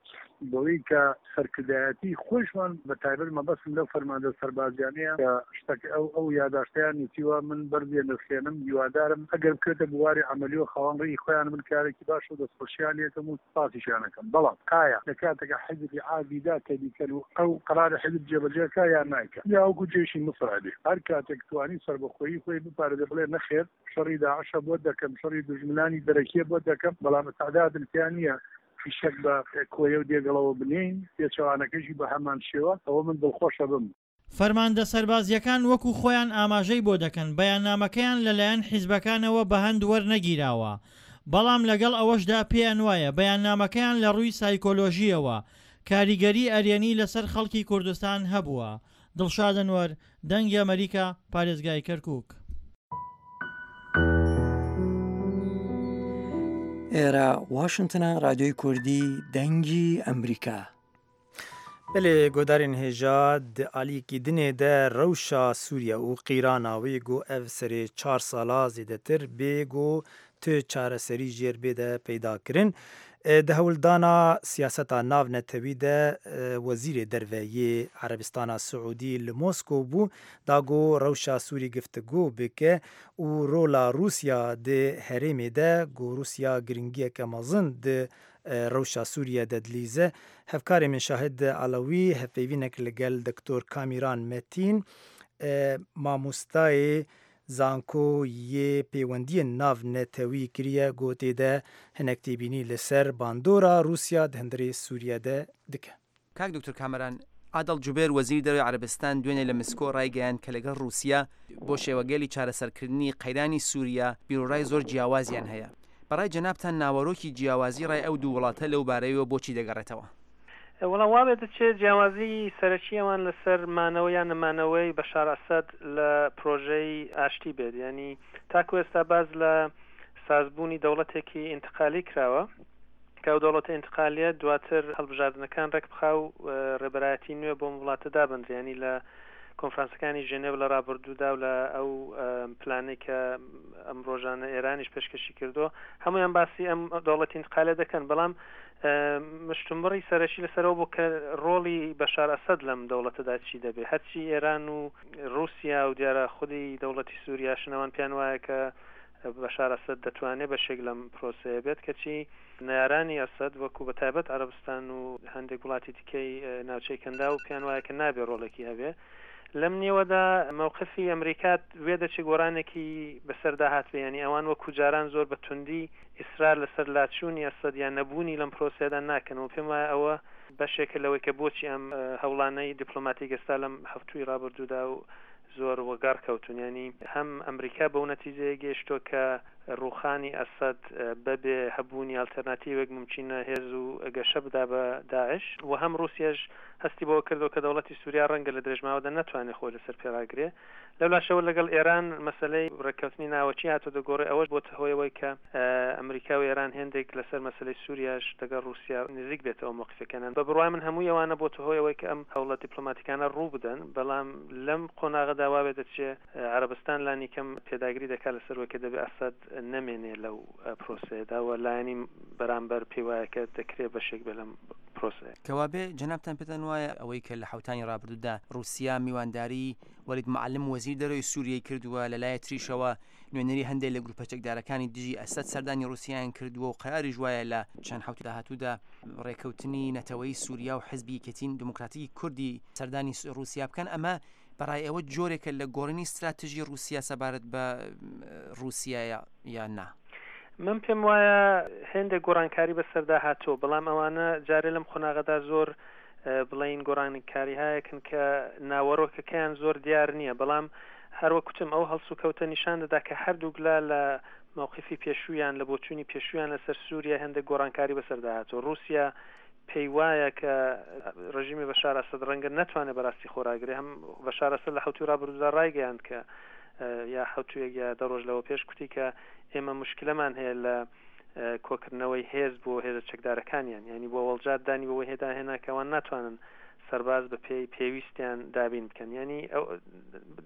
بەوەی کە سەرکردایەتی خۆیشمان بە تایبەت مەبەستم لەو فەرماندە سەربازیانەیە کە شتەکە ئەو ئەو یاداشتیان نووسیوە من بەرزیە نرخێنم، هیوادارم ئەگەر بکەوێتە بواری عەمەلی و خاوەن ڕێی خۆیان بن کارێکی باش و دەستخۆشیان لێکەم و سپاسیشیان ئەکەم. بەڵام ئایا لە کاتێکە حیزب ئیعازی دا کە بیکەن و ئەو قەراری حیزب جێبەجێکا یان نایکا، یا وەکو جێشی میسر ئەبێ هەر کاتێک توانی سەربەخۆیی خۆی بپارێزێ بڵێ نەخێر شەڕی داعشە بۆ دەکەم، شەڕی دوژمنانی دەرەکیە بۆ دەکەم، بەڵام ئیستعدادم تیا نییە فیشەک بە کۆیە و دێگەڵەوە بنین، پێچەوانەکەشی بە هەمان شێوە، ئەوە من دڵخۆشە بم. فەرماندە سەربازیەکان وەکو خۆیان ئاماژەی بۆ دەکەن بەیاننامەکەیان لەلایەن حیزبەکانەوە بەهەند وەرنەگیراوە، بەڵام لەگەڵ ئەوەشدا پێیان وایە بەیاننامەکەیان لە ڕووی سایکۆلۆژیەوە کاریگەری ئەرێنی لەسەر خەڵکی کوردستان هەبووە. دڵشاد ئەنوەر، دەنگی ئەمریکا، پارێزگای کەرکوک. ئێرە واشنگتنە، رادیۆی کوردی دەنگی ئەمریکا. بەلێ گۆدارên هێژا di aliyekî dinê de rewşa Sûriye û qîrana wê got ev serê çar sala zêdetir bê got Tu çareserî jêr bê de peydakirin. Di hewldana siyaseta navnetewî de wezîrê derve yê Erebistana Siûdî li Moskow bû da ku rewşa Sûrî giftigo bike û rola Rûsya di herêmê de ku Rûsya giringiyeke mezin di rewşa Sûriye de dilîze. Hevkarê min Şahid Elawî hevpeyvînek li gel Doktor Kamîran Metîn mamostayê zanko yê pêwendiyên navnetewî kiriye ku tê de hinek têbînî li ser bandora Rûsya di hundirê Sûriye de dike. کاک دکتۆر کامەران، عادڵ جوبێر وەزیری دەرەوەی عەرەبستان دوێنێ لە مسکۆ ڕایگەیاند کە لەگەڵ ڕووسیا بۆ شێوەگەلی چارەسەرکردنی قەیرانی سووریا بیرۆڕای زۆر جیاوازیان هەیە. بەڕای جەنابتان ناوەرۆکی جیاوازی ڕای ئەو دوو وڵاتە لەو بارەیەوە بۆچی دەگەڕێتەوە؟ وەڵا وا بێ دەچێت جیاوازی سەرەکی ئەوان لەسەر مانەوە یان نەمانەوەی بەشار ئەسەد لە پرۆژەی ئاشتی بێت. یعنی تاکو ئێستا باز لە سازبوونی دەوڵەتێکی ئینتقالی کراوە کە ئەو دەوڵەتە ئینتقالیە دواتر هەڵبژاردنەکان ڕێک بخا و ڕێبەرایەتی نوێ بۆ وڵاتە دابنرێ. یعنی لە کۆنفرانسەکانی ژنێڤ لە ڕابردوودا و لە ئەو پلانەی کە ئەم ڕۆژانە ئێرانیش پێشکەشی کردو هەمویان باسی ئەم دەوڵەتی ئینتقالیە دەکەن، بەڵام مشتومڕی سەرەکی لەسەرەوە بۆ کە ڕۆڵی بەشار ئەسەد لەم دەوڵەتەدا چی دەبێ. هەرچی ئێران و ڕووسیا و دیارە خودی دەوڵەتی سووریاشنەوان پێیان وایە کە بەشار ئەسەد دەتوانێت بەشێک لەم پرۆسەیە بێت، کەچی نەیارانی ئەسەد وەکو بە تایبەت عەرەبستان و هەندێک وڵاتی دیکەی ناوچەی کەندا و پێیان وایە کە نابێ ڕۆڵێکی هەبێ. لەم نێوەدا موقفی ئەمریکا وێ دەچێت گۆڕانێکی بەسەردا هاتبێ، یعنی ئەوان وەکو جاران زۆر بە توندی ئیسرار لەسەر لاچوونی ئەسەد یان نەبوونی لەم پرۆسەیەدا ناکەن و پێم وایە ئەوە بەشێکە لەوەی کە بۆچی ئەم هەوڵانەی دیپلۆماتیک ئێستا لەم هەفتووی ڕابردوودا و زۆر وەگەڕ کەوتون. یعنی هەم ئەمریکا بەو نەتیجەیە گەیشتووە کە ڕوخانی ئەسەد بەبێ هەبوونی ئەلتەرناتیڤێک ممکنە هێز و گەشە بدا بە داعش، و هەم ڕووسیاش هەستی بەوە کردەوە کە دەوڵەتی سووریا ڕەنگە لە درێژماوەدا نەتوانێت خۆی لەسەر پێڕاگرێ. لەولاشەوە لەگەڵ ئێران مەسلەی ڕێککەوتنی ناوەکی هاتۆ دەگۆڕێ، ئەوەش بۆتە هۆیەوەی کە ئەمریکا و ئێران هێندێک لەسەر مەسلەی سووریاش لەگەڵ ڕووسیا نزیک بێتەوە موقفەکانیان. بە بڕوای من هەمووی ئەوانە بۆتە هۆیەوەی کە ئەم هەوڵە دیپلۆماتیکانە ڕوو بدەن، بەڵام لەم قۆناغەدا وا بێ دەچێ عەرەبستان لانی کەم پێداگری دەکات لەسەر وەی کە دەبێ ئەسەد نەمێنێ لەو پرۆسەیەدا و لایەنی بەرامبەر پێی وایە کە دەکرێت بەشێک بێ لەم پرۆسەیە. کەوابێ جەنابتان پێتان وایە ئەوەی کە لە حوتانی ڕابردوودا ڕووسیا میوانداری وەلید معەلم وەزیر دەرەوەی سووریای کردووە، لەلایە تریشەوە نوێنەری هەندێک لە گروپە چەکدارەکانی دژی ئەسەد سەردانی ڕووسیایان کردووە و قەراریش وایە لە چەند حوت داهاتوودا ڕێککەوتنی نەتەوەی سووریا و حزبی یەکێتی دیموکراتیکی کوردی سەردانی ڕووسیا بکەن، ئەمە بەڕای ئێوە جۆرێکە لە گۆڕینی استراتژی ڕووسیا سەبارەت بە ڕووسیا یان نا؟ من پێم وایە هێندێک گۆڕانکاری بەسەردا هاتووە، بەڵام ئەوانە جارێ لەم قۆناغەدا زۆر بڵین گۆڕانکاری هەیەکن کە ناوەڕۆکەکەیان زۆر دیار نییە، بەڵام هەروە کوتم ئەو هەڵسوکەوتە نیشان دەدا کە هەردووگلا لە موقفی پێشوویان لە بۆچوونی پێشوویان لەسەر سووریا هەندێک گۆڕانکاری بەسەردا هاتووە. ڕووسیا پێی وایە کە ڕژیمی بەشار ئەسەد ڕەنگە نەتوانێت بەڕاستی خۆراگرێ. هەم بەشار ئەسەد لە حەوتوی ڕابردوودا ڕایگەیاند کە یا حەوتوویەک یا دە ڕۆژ لەوە پێش کوتی کە ئێمە مشکلەمان هەیە لە کۆکردنەوەی هێز بۆ هێزە چەکدارەکانیان، یعنی بۆ وەڵجار دانی بەوەی هێدا هێنا کە ئەوان ناتوانن سەرباز بە پێی پێویستیان دابین بکەن. یعنی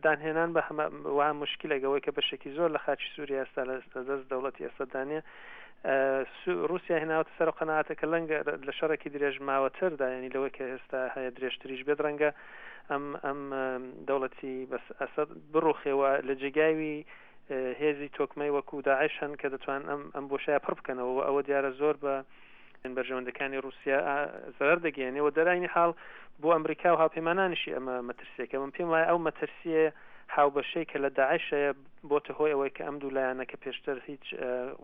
دانهێنان بە وها مشکلێک ئەوەی کە بەشێکی زۆر لە خاکی سووریا ئێستا لە دەست دەوڵەتی ئەسەددانە، رووسیا هێناوەتە سەر قەناعەتە کە لەنگە لە شەڕێکی درێژ ماوەتردا، یعنی لەوەی کە ئێستا هەیە درێژتریش بێت ڕەنگە ئەم ئەم دەوڵەتی بەس ئەسەد بڕوخێوە لە جێگاوی هێزی تۆکمەی وەکو داعش هەن کە دەتوان ئەم ئەم بۆشایە پڕ بکەنەوە. ئەوە دیارە زۆر بە بەرژەوەندەکانی رووسیا زەرەر دەگەیەنێ و دەراینی حاڵ بۆ ئەمریکا و هاوپەیمانانیشی ئەمە مەترسیەکە. من پێم وایە ئەو مەترسیە هاوبەشەی کە لە داعش هەیە بۆتە هۆی ئەوەی کە ئەم دوو لایەنە کە پێشتر هیچ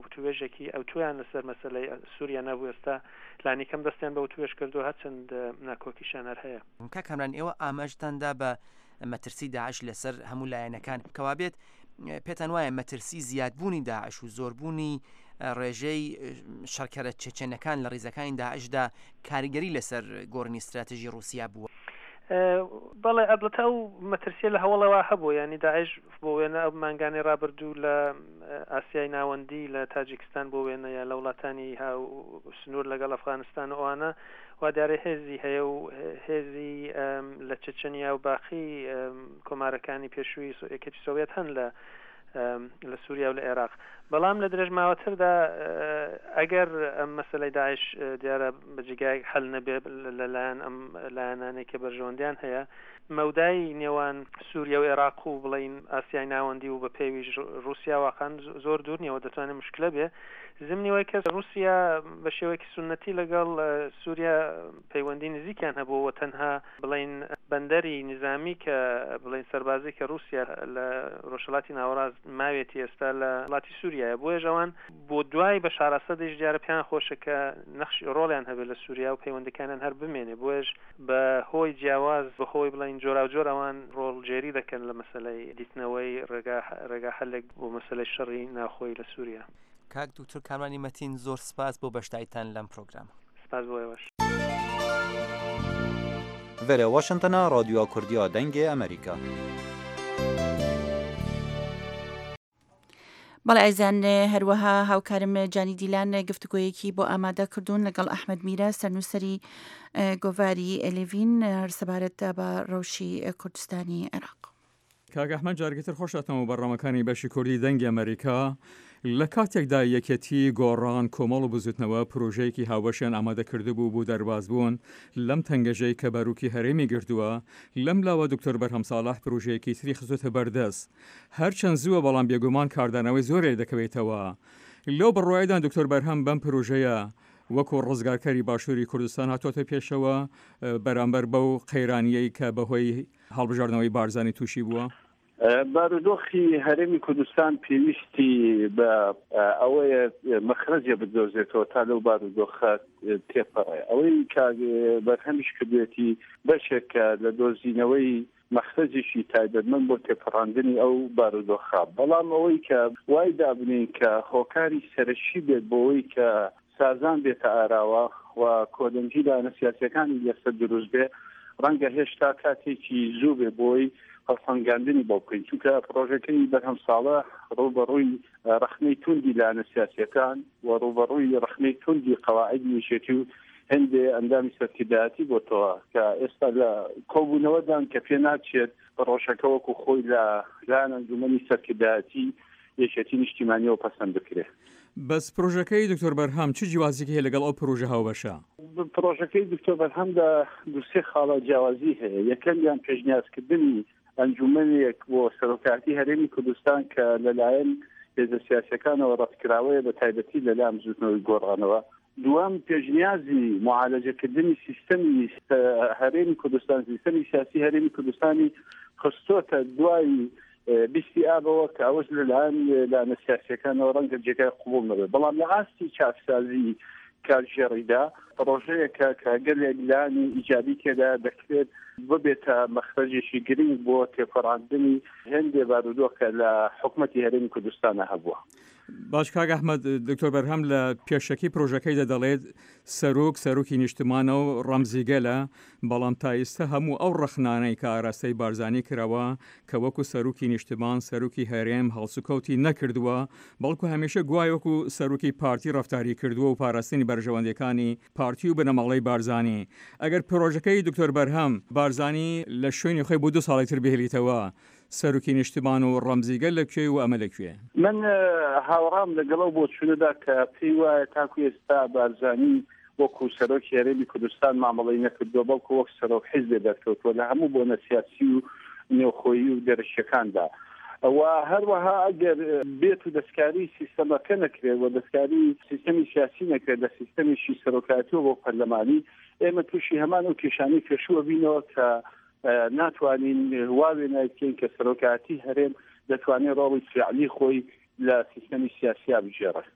وتوێژێکی ئەوتویان لەسەر مەسلەی سووریا نەبوو ئێستا لانی کەم دەستیان بە وتوێژ کردو هەرچەند ناکۆکیشیان هەر هەیە. کاک کامران، ئێوە ئاماژتان دا بە مەترسی داعش لەسەر هەموو لایەنەکان، کەوابێت پێتان وایە مەترسی زیادبوونی داعش و زۆربوونی ڕێژەی شەڕکەرە چێچێنەکان لە ڕیزەکانی داعشدا کاریگەری لەسەر گۆڕینی استراتژی ڕووسیا بووە؟ بەڵێ، ئەلبەتە ئەو مەترسیە لە هەوڵەوە هەبوو. یعنی داعش بۆ وێنە ئەو مانگانەی ڕابردوو لە ئاسیای ناوەندی لە تاجیکستان بۆ وێنە یا لە وڵاتانی سنوور لەگەڵ ئەفغانستان و ئەوانە وا دیارە هێزی هەیە و هێزی لە چچنیا و باقی کۆمارەکانی پێشووی یەکێتی سۆڤێت هەن لە لە سووریا و لە عێراق. بەڵام لە درێژماوەتردا ئەگەر ئەم مەسلەی داعش دیارە بە جێگایەک حەل نەبێ لەلایەن ئەم لایەنانەی کە بەرژەوەندیان هەیە، مەودای نێوان سووریا و عێراق و بڵین ئاسیای ناوەندی و بە پێویش رووسیا واقعا زۆر دوور نییە و دەتوانێت مشکلە بێ. زمنی وای کە رووسیا بە شێوەیەکی سوننەتی لەگەڵ سووریا پەیوەندی نزیکیان هەبوو و تەنها بڵین بەندەری نظامی کە بڵین سەربازی کە رووسیا لە ڕۆژهەڵاتی ناوەڕاست ماوێتی ئێستا لە وڵاتی سووریایە، بۆیە ئەوان بۆ دوای بەشار ئەسەدیش دیارە پێیان خۆشە کە نەخشی ڕۆڵیان هەبێت لە سووریا و پەیوەندەکانیان هەر بمێنێ. بۆیەش بە هۆی جیاواز بە هۆی بڵین جۆراوجۆر ئەوان ڕۆڵگێری دەکەن لە مەسلەی دیتنەوەی ڕێگا حەلێک بۆ مەسلەی شەڕی ناوخۆی لە سووریا. کاک دکتۆر کامرانی مەتین، زۆر سپاس بۆ بەشداریتان لەم پرۆگرامە. سپاس بۆ ئێوەش. ڤەرە واشنتنا رادیۆ کوردیا دەنگێ ئەمریکا. بەڵێ ئایزان، هەروەها هاوکارم جانی دیلان گفتوگۆیەکی بۆ ئامادە کردوون لەگەڵ ئەحمەد میرە سەرنووسەری گۆڤاری ئەلێڤین سەبارەت بە ڕەوشی کوردستانی عێراق. کاک ئەحمەد، جارێکی تر خۆشهاتنەوە بەرنامەکانی بەشی کوردی دەنگی ئەمریکا. لە کاتێکدا یەکێتی گۆڕان کۆمەڵ و بزوتنەوە پرۆژەیەکی هاوبەشیان ئامادە کردبوو بۆ دەربازبوون لەم تەنگەژەی کە باروکی هەرێمی گردووە، لەم لاوە دکتۆر بەرهەم ساڵح پرۆژەیەکی تری خستۆتە بەردەست. هەرچەند زووە بەڵام بێگومان کاردانەوەی زۆرێ دەکەوێتەوە. لەو بڕوایدان دکتۆر بەرهەم بەم پرۆژەیە وەکو ڕزگارکەری باشووری کوردستان هاتۆتە پێشەوە بەرامبەر بەو قەیرانیەی کە بەهۆی هەڵبژاردنەوەی بارزانی تووشی بووە؟ بارودۆخی هەرێمی کوردستان پێویستی بە ئەوەیە مەخرەجێ بدۆزێتەوە تا لەو بارودۆخە تێپەڕێ. ئەوەی کە بەرهەمیش کردوێتی بەشێکە لە دۆزینەوەی مەخرەجێکی تایبەتمەند بۆ تێپەڕاندنی ئەو بارودۆخە. بەڵام ئەوەی کە وای دابنین کە هۆکاری سەرەکی بێت بۆ ئەوەی کە سازان بێتە ئاراوە و کۆدەنگی لایەنە سیاسیەکانی لەسەر دروست بێ، ڕەنگە هێشتا کاتێکی زوو بێ بۆی هەڵسەنگاندنی بۆ بکەین، چونکە پرۆژەکەی بەرهەم ساڵە ڕووبەڕووی ڕەخنەی توندی لایەنە سیاسیەکان و ڕووبەڕووی ڕەخنەی توندی قەواعدی یەکێتی و هەندێ ئەندامی سەرکردایەتی بۆتەوە کە ئێستا لە کۆبوونەوەدان کە پێ ناچێت پرۆژەکە وەکو خۆی لە لایەن ئەنجومەنی سەرکردایەتی یەکێتی نیشتیمانیەوە پەسەند بکرێت. بەس پرۆژەکەی دکتۆر بەرهەم چ جیاوازیکی هەیە لەگەڵ ئەو پرۆژە هاوبەشە؟ پرۆژەکەی دکتۆر بەرهەمدا دوو سێ خاڵە جیاوازی هەیە. یەکەمیان پێشنیازکردنی ئەنجومەنێک بۆ سەرۆکایەتی هەرێمی کوردستان کە لەلایەن هێزە سیاسیەکانەوە ڕەتکراوەیە، بە تایبەتی لەلایەن بزووتنەوەی گۆڕانەوە. دووەم پێشنیازی معالەجەکردنی سیستەمی هەرێمی کوردستان، سیستەمی سیاسی هەرێمی کوردستانی خستۆتە دوای بیستی ئابەوە کە ئەوەش لەلایەن لایەنە سیاسیەکانەوە ڕەنگە جێگای قبوڵ نەبێت. بەڵام لە ئاستی چاکسازی کارگێڕیدا پرۆژەیەکە کە گەلێک لایەنی ئیجابی تێدا دەکرێت ببێتە مەخرەجێکی گرنگ بۆ تێپەڕاندنی هەندێ بارودۆخە لە حکومەتی هەرێمی کوردستانە هەبووە. باش کاک ئەحمەد، دکتۆر بەرهەم لە پێشەکی پرۆژەکەیدا دەڵێت سەرۆک سەرۆکی نیشتمانە و ڕەمزی گەلە، بەڵام تا ئێستا هەموو ئەو ڕەخنانەی کە ئاراستەی بارزانی کراوە کە وەکو سەرۆکی نیشتمان سەرۆکی هەرێم هەڵسوکەوتی نەکردووە، بەڵکو هەمیشە گوای وەکو سەرۆکی پارتی ڕەفتاری کردووە و پاراستنی بەرژەوەندیەکانی پارتی و بنەماڵەی بارزانی. ئەگەر پرۆژەکەی دکتۆر بەرهەم بارزانی لە شوێنی خۆی بۆ دوو ساڵی تر بهێڵیتەوە، سەرۆکی نیشتمان و ڕەمزیگەل لەکوێ و ئەمە لەکوێ؟ من هاوڕام لەگەڵ ئەو بۆچوونەدا کە پێی وایە تاکو ئێستا بارزانی وەکو سەرۆکی هەرێمی کوردستان مامەڵەی نەکردووە، بەڵکو وەک سەرۆک حیزبێ دەرکەوتووە لە هەموو بۆنە سیاسی و نێوخۆیی و دەرەکیەکاندا. و هەروەها ئەگەر بێت و دەستکاری سیستەمەکە نەکرێت و دەستکاری سیستەمی سیاسی نەکرێت لە سیستەمێکی سەرۆکایەتیەوە بۆ پەرلەمانی، ئێمە تووشی هەمان ئەو کێشانەی پێشووە بینەوە کە ناتوانین وا وێنای بکەین کە سەرۆکایەتی هەرێم دەتوانێت ڕۆڵی فعلی خۆی لە سیستەمی سیاسیا بگێڕێت.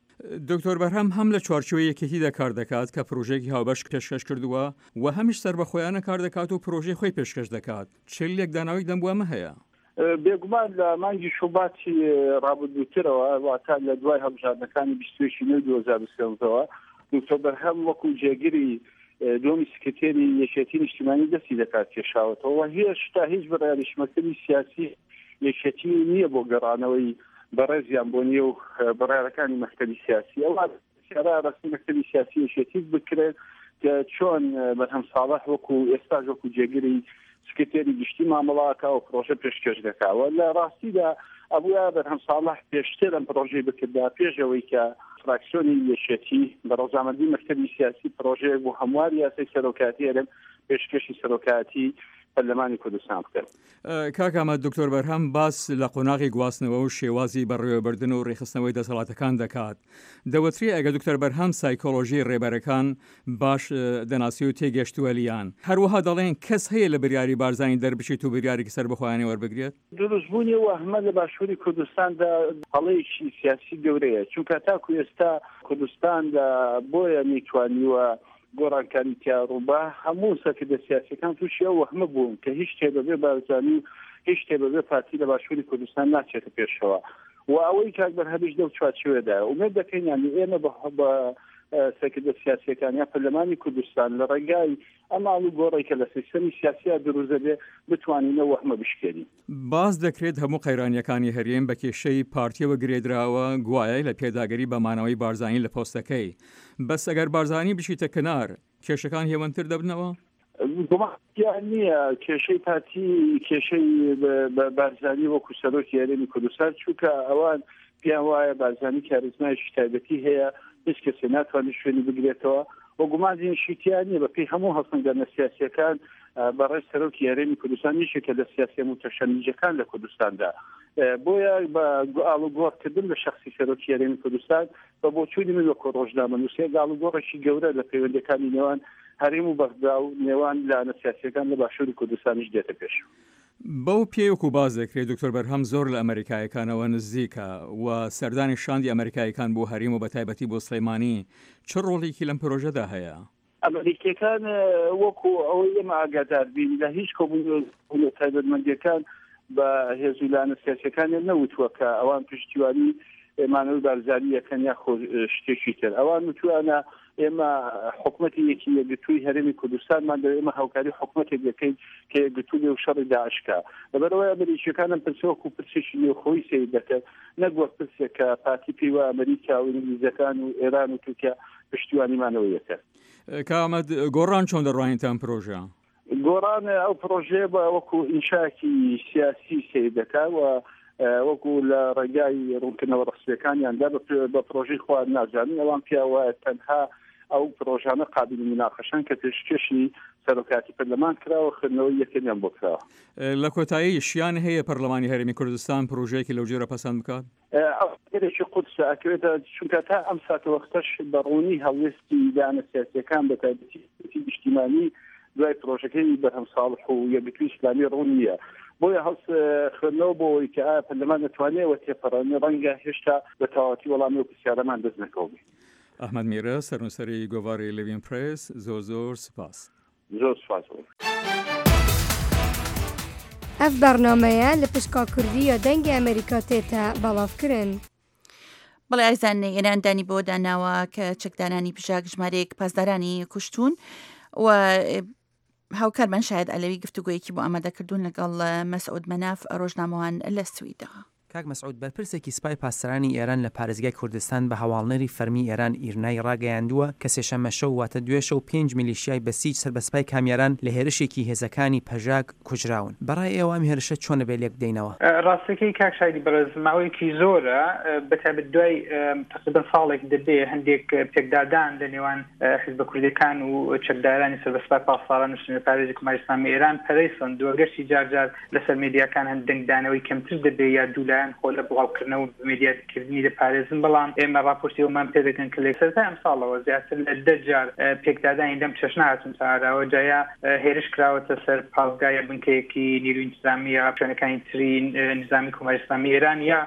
دکتۆر بەرهەم هەم لە چوارچێوەی یەکێتیدا کار دەکات کە پرۆژەیەکی هاوبەش پێشکەش کردووە و هەمیش سەربەخۆیانە کار دەکات و پرۆژەی خۆی پێشکەش دەکات. چ لێکدانەوەی دەم بۆ ئەمە هەیە؟ بێگومان لە مانگی شوباتی ڕابردووترەوە، واتە لە دوای هەڵبژاردنەکانی بیست و یەکی نۆی دوو هەزار و سێزدەوە، دکتۆر بەرهەم وەکو جێگری دووەمی سکرتێری یەکێتی نیشتیمانی دەستی دەکات کێشاوەتەوە و هێشتا هیچ بڕیاریش مەکتەبی سیاسی یەکێتی نییە بۆ گەڕانەوەی بەڕێزیان بۆ نێو بڕیارەکانی مەکتەبی سیاسی. ئەوە سیارە ڕەسمی مەکتەبی سیاسی یەکێتی بکرێت کە چۆن بەرهەم ساڵح وەکو ئێستاش وەکو جێگری سکرتێری گشتی مامەڵاکە و پرۆژە پێشکەش دەکاوە. لە ڕاستیدا ئەبووە بەرهەم ساڵح پێشتر ئەم پرۆژەی بکردا پێش ئەوەی کە فراکسیۆنی یەکێتی بە ڕەزامەندی مەکتەبی سیاسی پرۆژەیەک بۆ هەمواری یاسای سەرۆکایەتی هەرێم پێشکەشی سەرۆکایەتی پەرلەمانی کوردستان بکەن. کاک ئامەد، دکتۆر بەرهەم باس لە قۆناغی گواستنەوە و شێوازی بەڕێوەبردن و ڕێکخستنەوەی دەسەڵاتەکان دەکات. دەوترێ ئەگەر دکتۆر بەرهەم سایکۆلۆژی ڕێبەرەکان باش دەناسی و تێگەشتووە لیان. هەروەها دەڵێن کەس هەیە لە بریاری بارزانی دەربچێت و بریارێکی سەربەخۆیانە وەربگرێت؟ دروستبوونی وەهمە لە باشووری کوردستاندا هەڵەیەکی سیاسی گەورەیە، چونکە تاکو ئێستا کوردستان بۆیە نەیتوانیوە گۆڕانکاری تیاڕووبا، هەموو سەرکردە سیاسیەکان تووشی ئەو وەهمە بوون کە هیچ شتێ بەبێ بارزانی و هیچ شتێ بەبێ پارتی لە باشووری کوردستان ناچێتە پێشەوە و ئەوەی کاک بەرهەمیش لەو چوارچێوەدایە. ئومێد دەکەین یانی ئێمە بە سەرکردە سیاسیەکان یا پەرلەمانی کوردستان لە ڕێگای ئەم ئاڵوگۆڕێک کە لە سیستەمی سیاسیا دروست دەبێ بتوانین ئەو وەهمە بشکێنین. باز دەکرێت هەموو قەیرانیەکانی هەرێم بە کێشەی پارتیەوە گرێدراوە، گوایە لە پێداگری بە مانەوەی بارزانی لە پۆستەکەی. بەس ئەگەر بارزانی بچیتە کنار کێشەکان هێوەنتر دەبنەوە؟ گومان نییە کێشەی پارتی کێشەی بارزانی وەکو سەرۆکی هەرێمی کوردستان، چونکە ئەوان پێیان وایە بارزانی کاریزمایەکی تایبەتی هەیە، هیچ کەسێ ناتوانێت شوێنی بگرێتەوە و گومانیشی تیا نییە. بەپێی هەموو هەڵسەنگاندنە سیاسیەکان بەڕێز سەرۆکی هەرێمی کوردستان یەکێکە لە سیاسیە موتەشەنیجەکان لە کوردستاندا. بۆیە بە ئاڵوگۆڕکردن لە شەخسی سەرۆکی هەرێمی کوردستان بە بۆچوونی من وەکو ڕۆژنامەنووسێک ئاڵوگۆڕێکی گەورە لە پەیوەندیەکانی نێوان هەرێم و بەغدا و نێوان لایەنە سیاسیەکان لە باشووری کوردستانیش دێتە پێش. بەو پێیەک و باز دەکرێت دکتۆر بەرهەم زۆر لە ئەمریکایەکانەوە نزیکە و سەردانی شاندی ئەمریکایەکان بۆ هەرێم و بە تایبەتی بۆ سلێمانی چ ڕۆڵێکی لەم پرۆژەدا هەیە؟ ئەمریکیەکان وەکو ئەوەی ئێمە ئاگادار بین لە هیچ کۆبوونەوە تایبەتمەندیەکان بە هێز و لایەنە سیاسیەکانیان نەوتووە کە ئەوان پشتیوانی مانەوەی بارزانی یەکەن یاخۆ شتێکی تر. ئەوان وتوانە ئێمە حکومەتی یەکی یەکگرتووی هەرێمی کوردستانمان دەوێت، ئێمە هاوکاری حکومەتێک دەکەین کە یەکگرتوو بێ و شەڕی داعش کا. لەبەرئەوەی ئەمریکیەکان ئەم پرسە وەکو پرسێکی نێوخۆیی سەیر دەکەن، نەک وەک پرسێک کە پارتی پێی وایە ئەمریکا و ئینگلیزەکان و ئێران و تورکیا پشتیوانیمانەوە یەکەن. کامەد، گۆڕان چۆن دەڕوانیتە ئەم پرۆژە؟ گۆڕان ئەو پرۆژەیە بە وەکو ئینشاکی سیاسی سەیر دەکات و وەکو لە ڕێگای ڕوونکردنەوە ڕەسمیەکانیاندا بە پرۆژەی خۆیان نازانن. ئەوان پێیان وایە تەنها ئەو پرۆژانە قابلی مناقەشەن کە پێشکێشی سەرۆکاتی پەرلەمان کراوە، خوێندنەوەی یەکەمیان بۆ کراوە. لە کۆتایی شیان هەیە پەرلەمانی هەرێمی کوردستان پرۆژەیەکی لەو جۆرە پەسەند بکات؟ ئەو ئەگەرێکی قورسە ئەکەوێتە، چونکە تا ئەم ساتەوەختەش بە ڕوونی هەڵوێستی لایەنە سیاسیەکان بە تایبەتی نیشتیمانی دوای پرۆژەکەی بەرهەم ساڵح و یەکگرتووی ئیسلامی ڕوون نییە. بۆیە هەڵس خوێندنەوە بۆ ئەوەی کە ئایا پەرلەمان دەتوانێت تێپەڕێنێ ڕەنگە هێشتا بە تەواوەتی وەڵامی ئەو پرسیارەمان دەست نەکەوبێ. ئەحمەد میرە، سەرنووسەری گۆڤاری لێڤین پرێس، زۆر زۆر سپاس. زۆر سپاس. ئەف بەرنامەیە لە پشکا کوردی یا دەنگی ئەمریکا تێتە بەڵاوکردن. بەڵێ ئایزان، ئێران دانی بۆ داناوە کە چەکدارانی پژاک ژمارەیەک پاسدارانی کوشتون و هاوکارمان شاید عەلەوی گفتوگۆیەکی بۆ ئامادەکردوون لەگەڵ مەسعود مەناف ڕۆژنامەوان لە سویدا. کاک مەسعود، بەرپرسێکی سپای پاسدارانی ئێران لە پارێزگای کوردستان بە هەواڵنێری فەرمی ئێران ئیرنای ڕاگەیاندووە کە سێشەممە شەو واتە دوێشەو پێنج میلیشیای بەسیج سەر بە سپای کامیاران لە هێرشێکی هێزەکانی پەژاک کوژراون. بەڕای ئێوە ئەم هێرشە چۆن ئەبێ لێک بدەینەوە؟ ڕاستەکەی کاک شایدی بەڕێز، ماوەیەکی زۆرە بەتایبەت دوای تقریبا ساڵێک دەبێ هەندێک پێکدادان لە نێوان حیزبە کوردیەکان و چەکدارانی سەر بە سپای پاسداران و سنوورپارێزی کۆماری ئیسلامی ئێران پەرەی سەندووە. گەرچی جار جار لەسەر مێدیاکان هەند دەنگدانەوەی کەمتر دەبێ یا دوولایەن خۆ لە بڵاوکردنەوە بە مێدیاکردنی دەپارێزن، بەڵام ئێمە راپۆرتی ئەومان پێدەگەن کە لە سەرەتای ئەمساڵەوە زیاتر لە دە جار پێکدادانی لەم چەشنە هاتوونتە ئاراوە، جایا هێرش کراوەتە سەر پاسگا یا بنکەیەکی نیروی ئینتزامی یا شوێنەکانی تری نظامی کۆماری ئیسلامی ئێران یا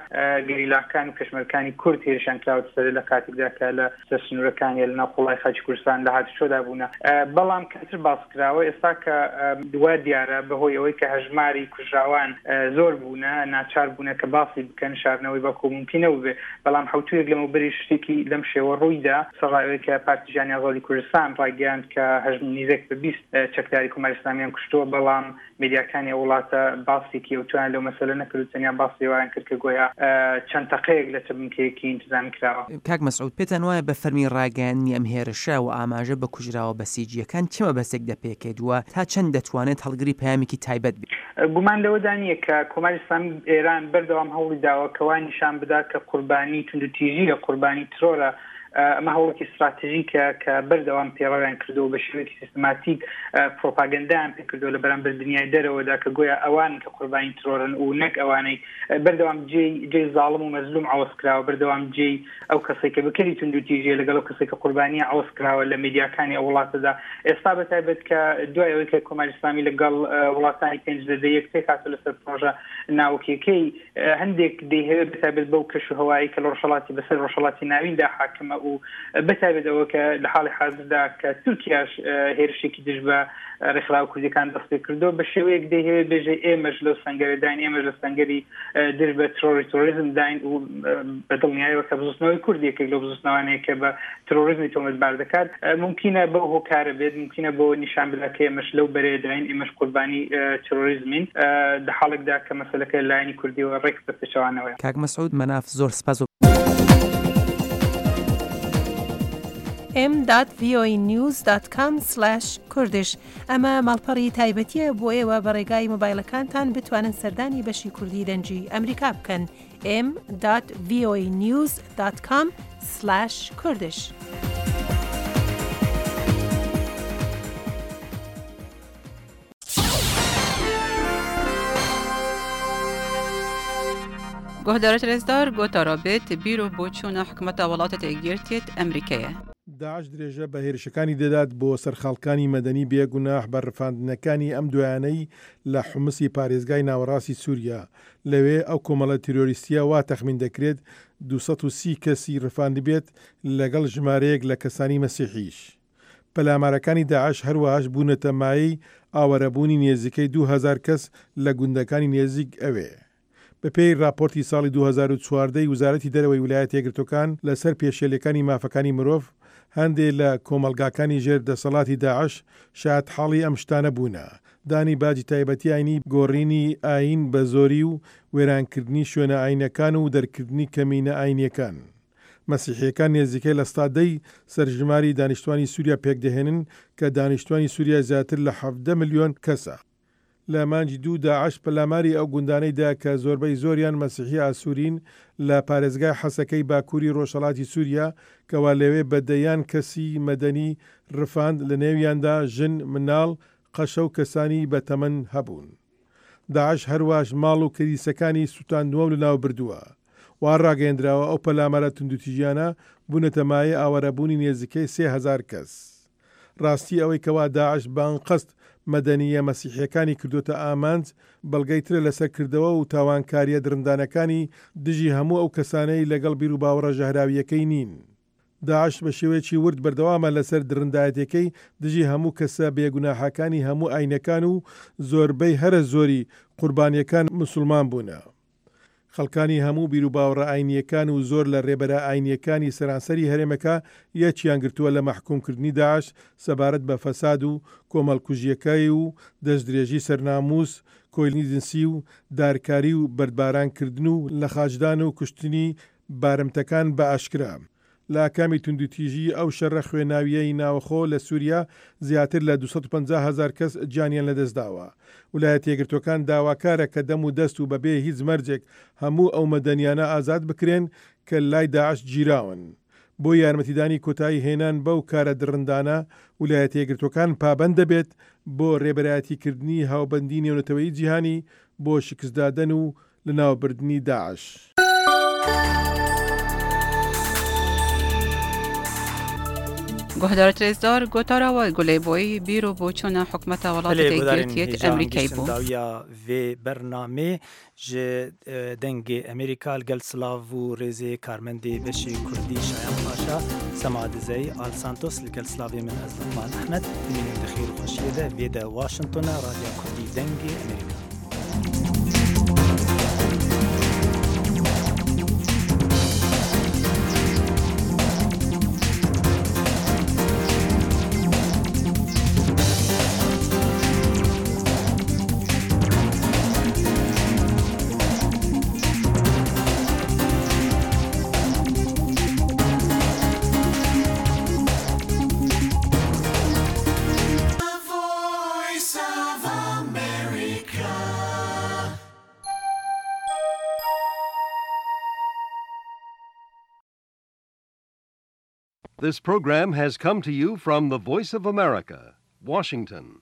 گەریلاکان و پێشمەرگەکانی کورد هێرشیان کراوەتە سەر لە کاتێکدا کە لە سەر سنوورەکان یا لەناو قوڵای خاکی کوردستان لە هاتوچۆدا بوونە، بەڵام کەمتر باس کراوە. ئێستا کە وا دیارە بەهۆی ئەوەی کە هەژماری کوژراوان زۆر بوونە، ناچار بوونە کە باسی بکەن، شارنەوەی بەڵکو ممکنە بێ. بەڵام حوتویەک لەمەوبەری شتێکی لەم شێوە ڕوویدا، سەرەڕای ئەوەی کە پارتی ژیانی ئازادی کوردستان ڕایگەیاند کە هەژم نیزێک بە بیست چەکداری کۆماری ئیسلامیان کوشتووە، بەڵام میدیاکانی ئەو وڵاتە باسێکی ئەوتویان لەو مەسەلە نەکرد و تەنیا باسی ئەویان کرد کە گۆیا چەند تەقەیەک لە چ بنکەیەکی ئینتزامی کراوە. کاک مەسعود، پێتان وایە بە فەرمی ڕاگەیاندنی ئەم هێرشە و ئاماژە بە کوژراوە بەسیجییەکان چ مەبەستێک دەپێکێت و تا چەند دەتوانێت هەڵگری پەیامێکی تایبەت بێت؟ گومان لەوەدا نییە کە کۆماری ئیسلامی ئێران بەردەوام هەوڵی داوە کە وا نیشان بدات کە قوربانی توندوتیژییە، قوربانی ترۆرە. ئەمە هەوڵێکی ستراتژیکە کە بەردەوام پێڕەویان کردووە، بە شێوەیەکی سیستماتیک پرۆپاگەندایان پێ کردووە لە بەرامبەر دنیای دەرەوەدا کە گۆیا ئەوان کە قوربانی ترۆرن و نەک ئەوانەی بەردەوام جێی جێی زاڵم و مەزلوم عەوەز کراوە، بەردەوام جێی ئەو کەسێک کە بکەری توندوتیژیە لەگەڵ ئەو کەسێک کە قوربانیە عەوەز کراوە لە میدیاکانی ئەو وڵاتەدا. ئێستا بە تایبەت کە دوای ئەوەی کە کۆماری ئیسلامی لەگەڵ وڵاتانی پێنج زەدە یەک پێکهاتوو لەسەر پرۆژە ناوکیەکەی، هەندێک دەیهەوێت بە تایبەت بەو کەش و هەوایی کە لە ڕۆژهەڵاتی بەسەر ڕۆژهەڵاتی ناویندا حاکمە و بە تایبەت ئەوە کە لە حاڵی حازردا کە تورکیاش هێرشێکی دژ بە ڕێکخراوە کوردیەکان دەست پێ کردو، بە شێوەیەک دەیهەوێت بێژێ ئێمەش لەو سەنگەرەداین، ئێمەش لە سەنگەری دژ بە ترۆری ترۆریزم داین و بە دڵنیایەوە کە بزوتنەوەی کورد یەکێک لەو بزوتنەوانەیە کە بە ترۆریزمی تۆمەتبار دەکات. ممکنە بەو هۆکارە بێت، ممکنە بۆ نیشان بدات کە ئێمەش لەو بەرەیەداین، ئێمەش قوربانی ترۆریزمین، لە حاڵێکدا کە مەسەلەکە لایەنی کوردیەوە ڕێک بە پێچەوانەوەیە. کاک مەسعود مەناف زۆر سپاس. m dot voanews dot com slash kurdish ئەمە ماڵپەڕی تایبەتیە بۆ ئێوە بە ڕێگای مۆبایلەکانتان بتوانن سەردانی بەشی کوردی دەنگی ئەمریکا بکەن m dot voanews dot com slash kurdish. گۆهدارەت رێزدار گۆتارا بێت بیر و بۆچوونە حکومەتە وڵاتە یەکگرتیت ئەمریکایە. داعش درێژە بە هێرشەکانی دەدات بۆ سەرخەڵکانی مەدەنی بێگوناح بە ڕفاندنەکانی ئەم دوایانەی لە حومسی پارێزگای ناوەڕاستی سووریا. لەوێ ئەو کۆمەڵە تیرۆریستیە وا تەخمین دەکرێت دوو سەد و سی کەسی ڕفاندبێت لەگەڵ ژمارەیەک لە کەسانی مەسیحیش. پەلامارەکانی داعش هەروەهاش بوونەتە مایەی ئاوارەبوونی نێزیکەی دوو هەزار کەس لە گوندەکانی نێزیک ئەوێ. بەپێی راپۆرتی ساڵی دوو هەزار و چواردە ی وەزارەتی دەرەوەی ویلایەتە یەکگرتووەکان لەسەر پێشێلەکانی مافەکانی مرۆڤ، هەندێک لە کۆمەڵگاکانی ژێر دەسەڵاتی داعش شایەتحاڵی ئەم شتانە بوونە: دانی باجی تایبەتی ئاینی، گۆڕینی ئاین بە زۆری و وێرانکردنی شوێنە ئاینەکان و دەرکردنی کەمینە ئاینیەکان. مەسیحیەکان نێزیکەی لە سەدا دەی سەرژماری دانیشتوانی سووریا پێکدەهێنن کە دانیشتوانی سووریا زیاتر لە حەڤدە ملیۆن کەسە. لە مانگی دوو داعش پەلاماری ئەو گوندانەی دا کە زۆربەی زۆریان مەسیحی ئاسوورین لە پارێزگای حەسەکەی باکووری ڕۆژهەڵاتی سووریا، کەوا لەوێ بە دەیان کەسی مەدەنی ڕفاند، لە نێویاندا ژن، مناڵ، قەشە و کەسانی بەتەمەن هەبوون. داعش هەرواش ماڵ و کلیسەکانی سووتاندووە و لەناو بردووە. وا ڕاگەیەندراوە ئەو پەلامارە توندوتیژیانە بوونەتە مایەی ئاوارەبوونی نێزیکەی سێ هەزار کەس. ڕاستی ئەوەی کەوا داعش بە ئەنقەست مەدەنیە مەسیحیەکانی کردوتە ئامانج، بەڵگەی ترە لەسەر کردەوە و تاوانکاریە درندانەکانی دژی هەموو ئەو کەسانەی لەگەڵ بیروباوەڕە ژەهراویەکەی نین. داعش بە شێوەیەکی ورد بەردەوامە لەسەر درندایەتەکەی دژی هەموو کەسە بێگوناحەکانی هەموو ئاینەکان و زۆربەی هەرە زۆری قوربانیەکان مسلمان بوونە. خەڵکانی هەموو بیروباوەڕە ئاینیەکان و زۆر لە ڕێبەرە ئاینیەکانی سەرانسەری هەرێمەکە یەکیان گرتووە لە مەحکومکردنی داعش سەبارەت بە فەساد و کۆمەڵکوژیەکەی و دەستدرێژی سەرناموس، کۆیلەی جنسی و دارکاری و بەردبارانکردن و لەخاچدان و کوشتنی بارمتەکان بە ئاشکرا. لە ئاکامی توندوتیژی ئەو شەڕە خوێناویەی ناوەخۆ لە سووریا زیاتر لە دوو سەد و پەنجا هەزار کەس گیانیان لەدەستداوە. ویلایەتە یەکگرتووەکان داواکارە کە دەم و دەست و بەبێ هیچ مەرجێک هەموو ئەو مەدەنیانە ئازاد بکرێن کە لای داعش گیراون. بۆ یارمەتیدانی کۆتایی هێنان بەو کارە دڕندانە، ویلایەتە یەکگرتووەکان پابەند دەبێت بۆ ڕێبەرایەتیکردنی هاوبەندی نێونەتەوەیی جیهانی بۆ شکستدادن و لەناوبردنی داعش. گۆهدارەت رێزدار گۆتارەوە گولەی بۆی بیر و بۆچوونە حکومەتە وڵاتە یەکگرتیت ئەمریکای بوو. داویا vê bernamê ji dengê Amerîka li gel silav û rêzê karmendê beşê Kurdî Şayan Paşa, Sema Dizeyî, Al Santos li gel silavê min ez Luqman Ehmed dimînim di xêr û xweşiyê de vê de Washingtona Radyoya Kurdî dengê Amerîka. This program has come to you from the Voice of America, Washington.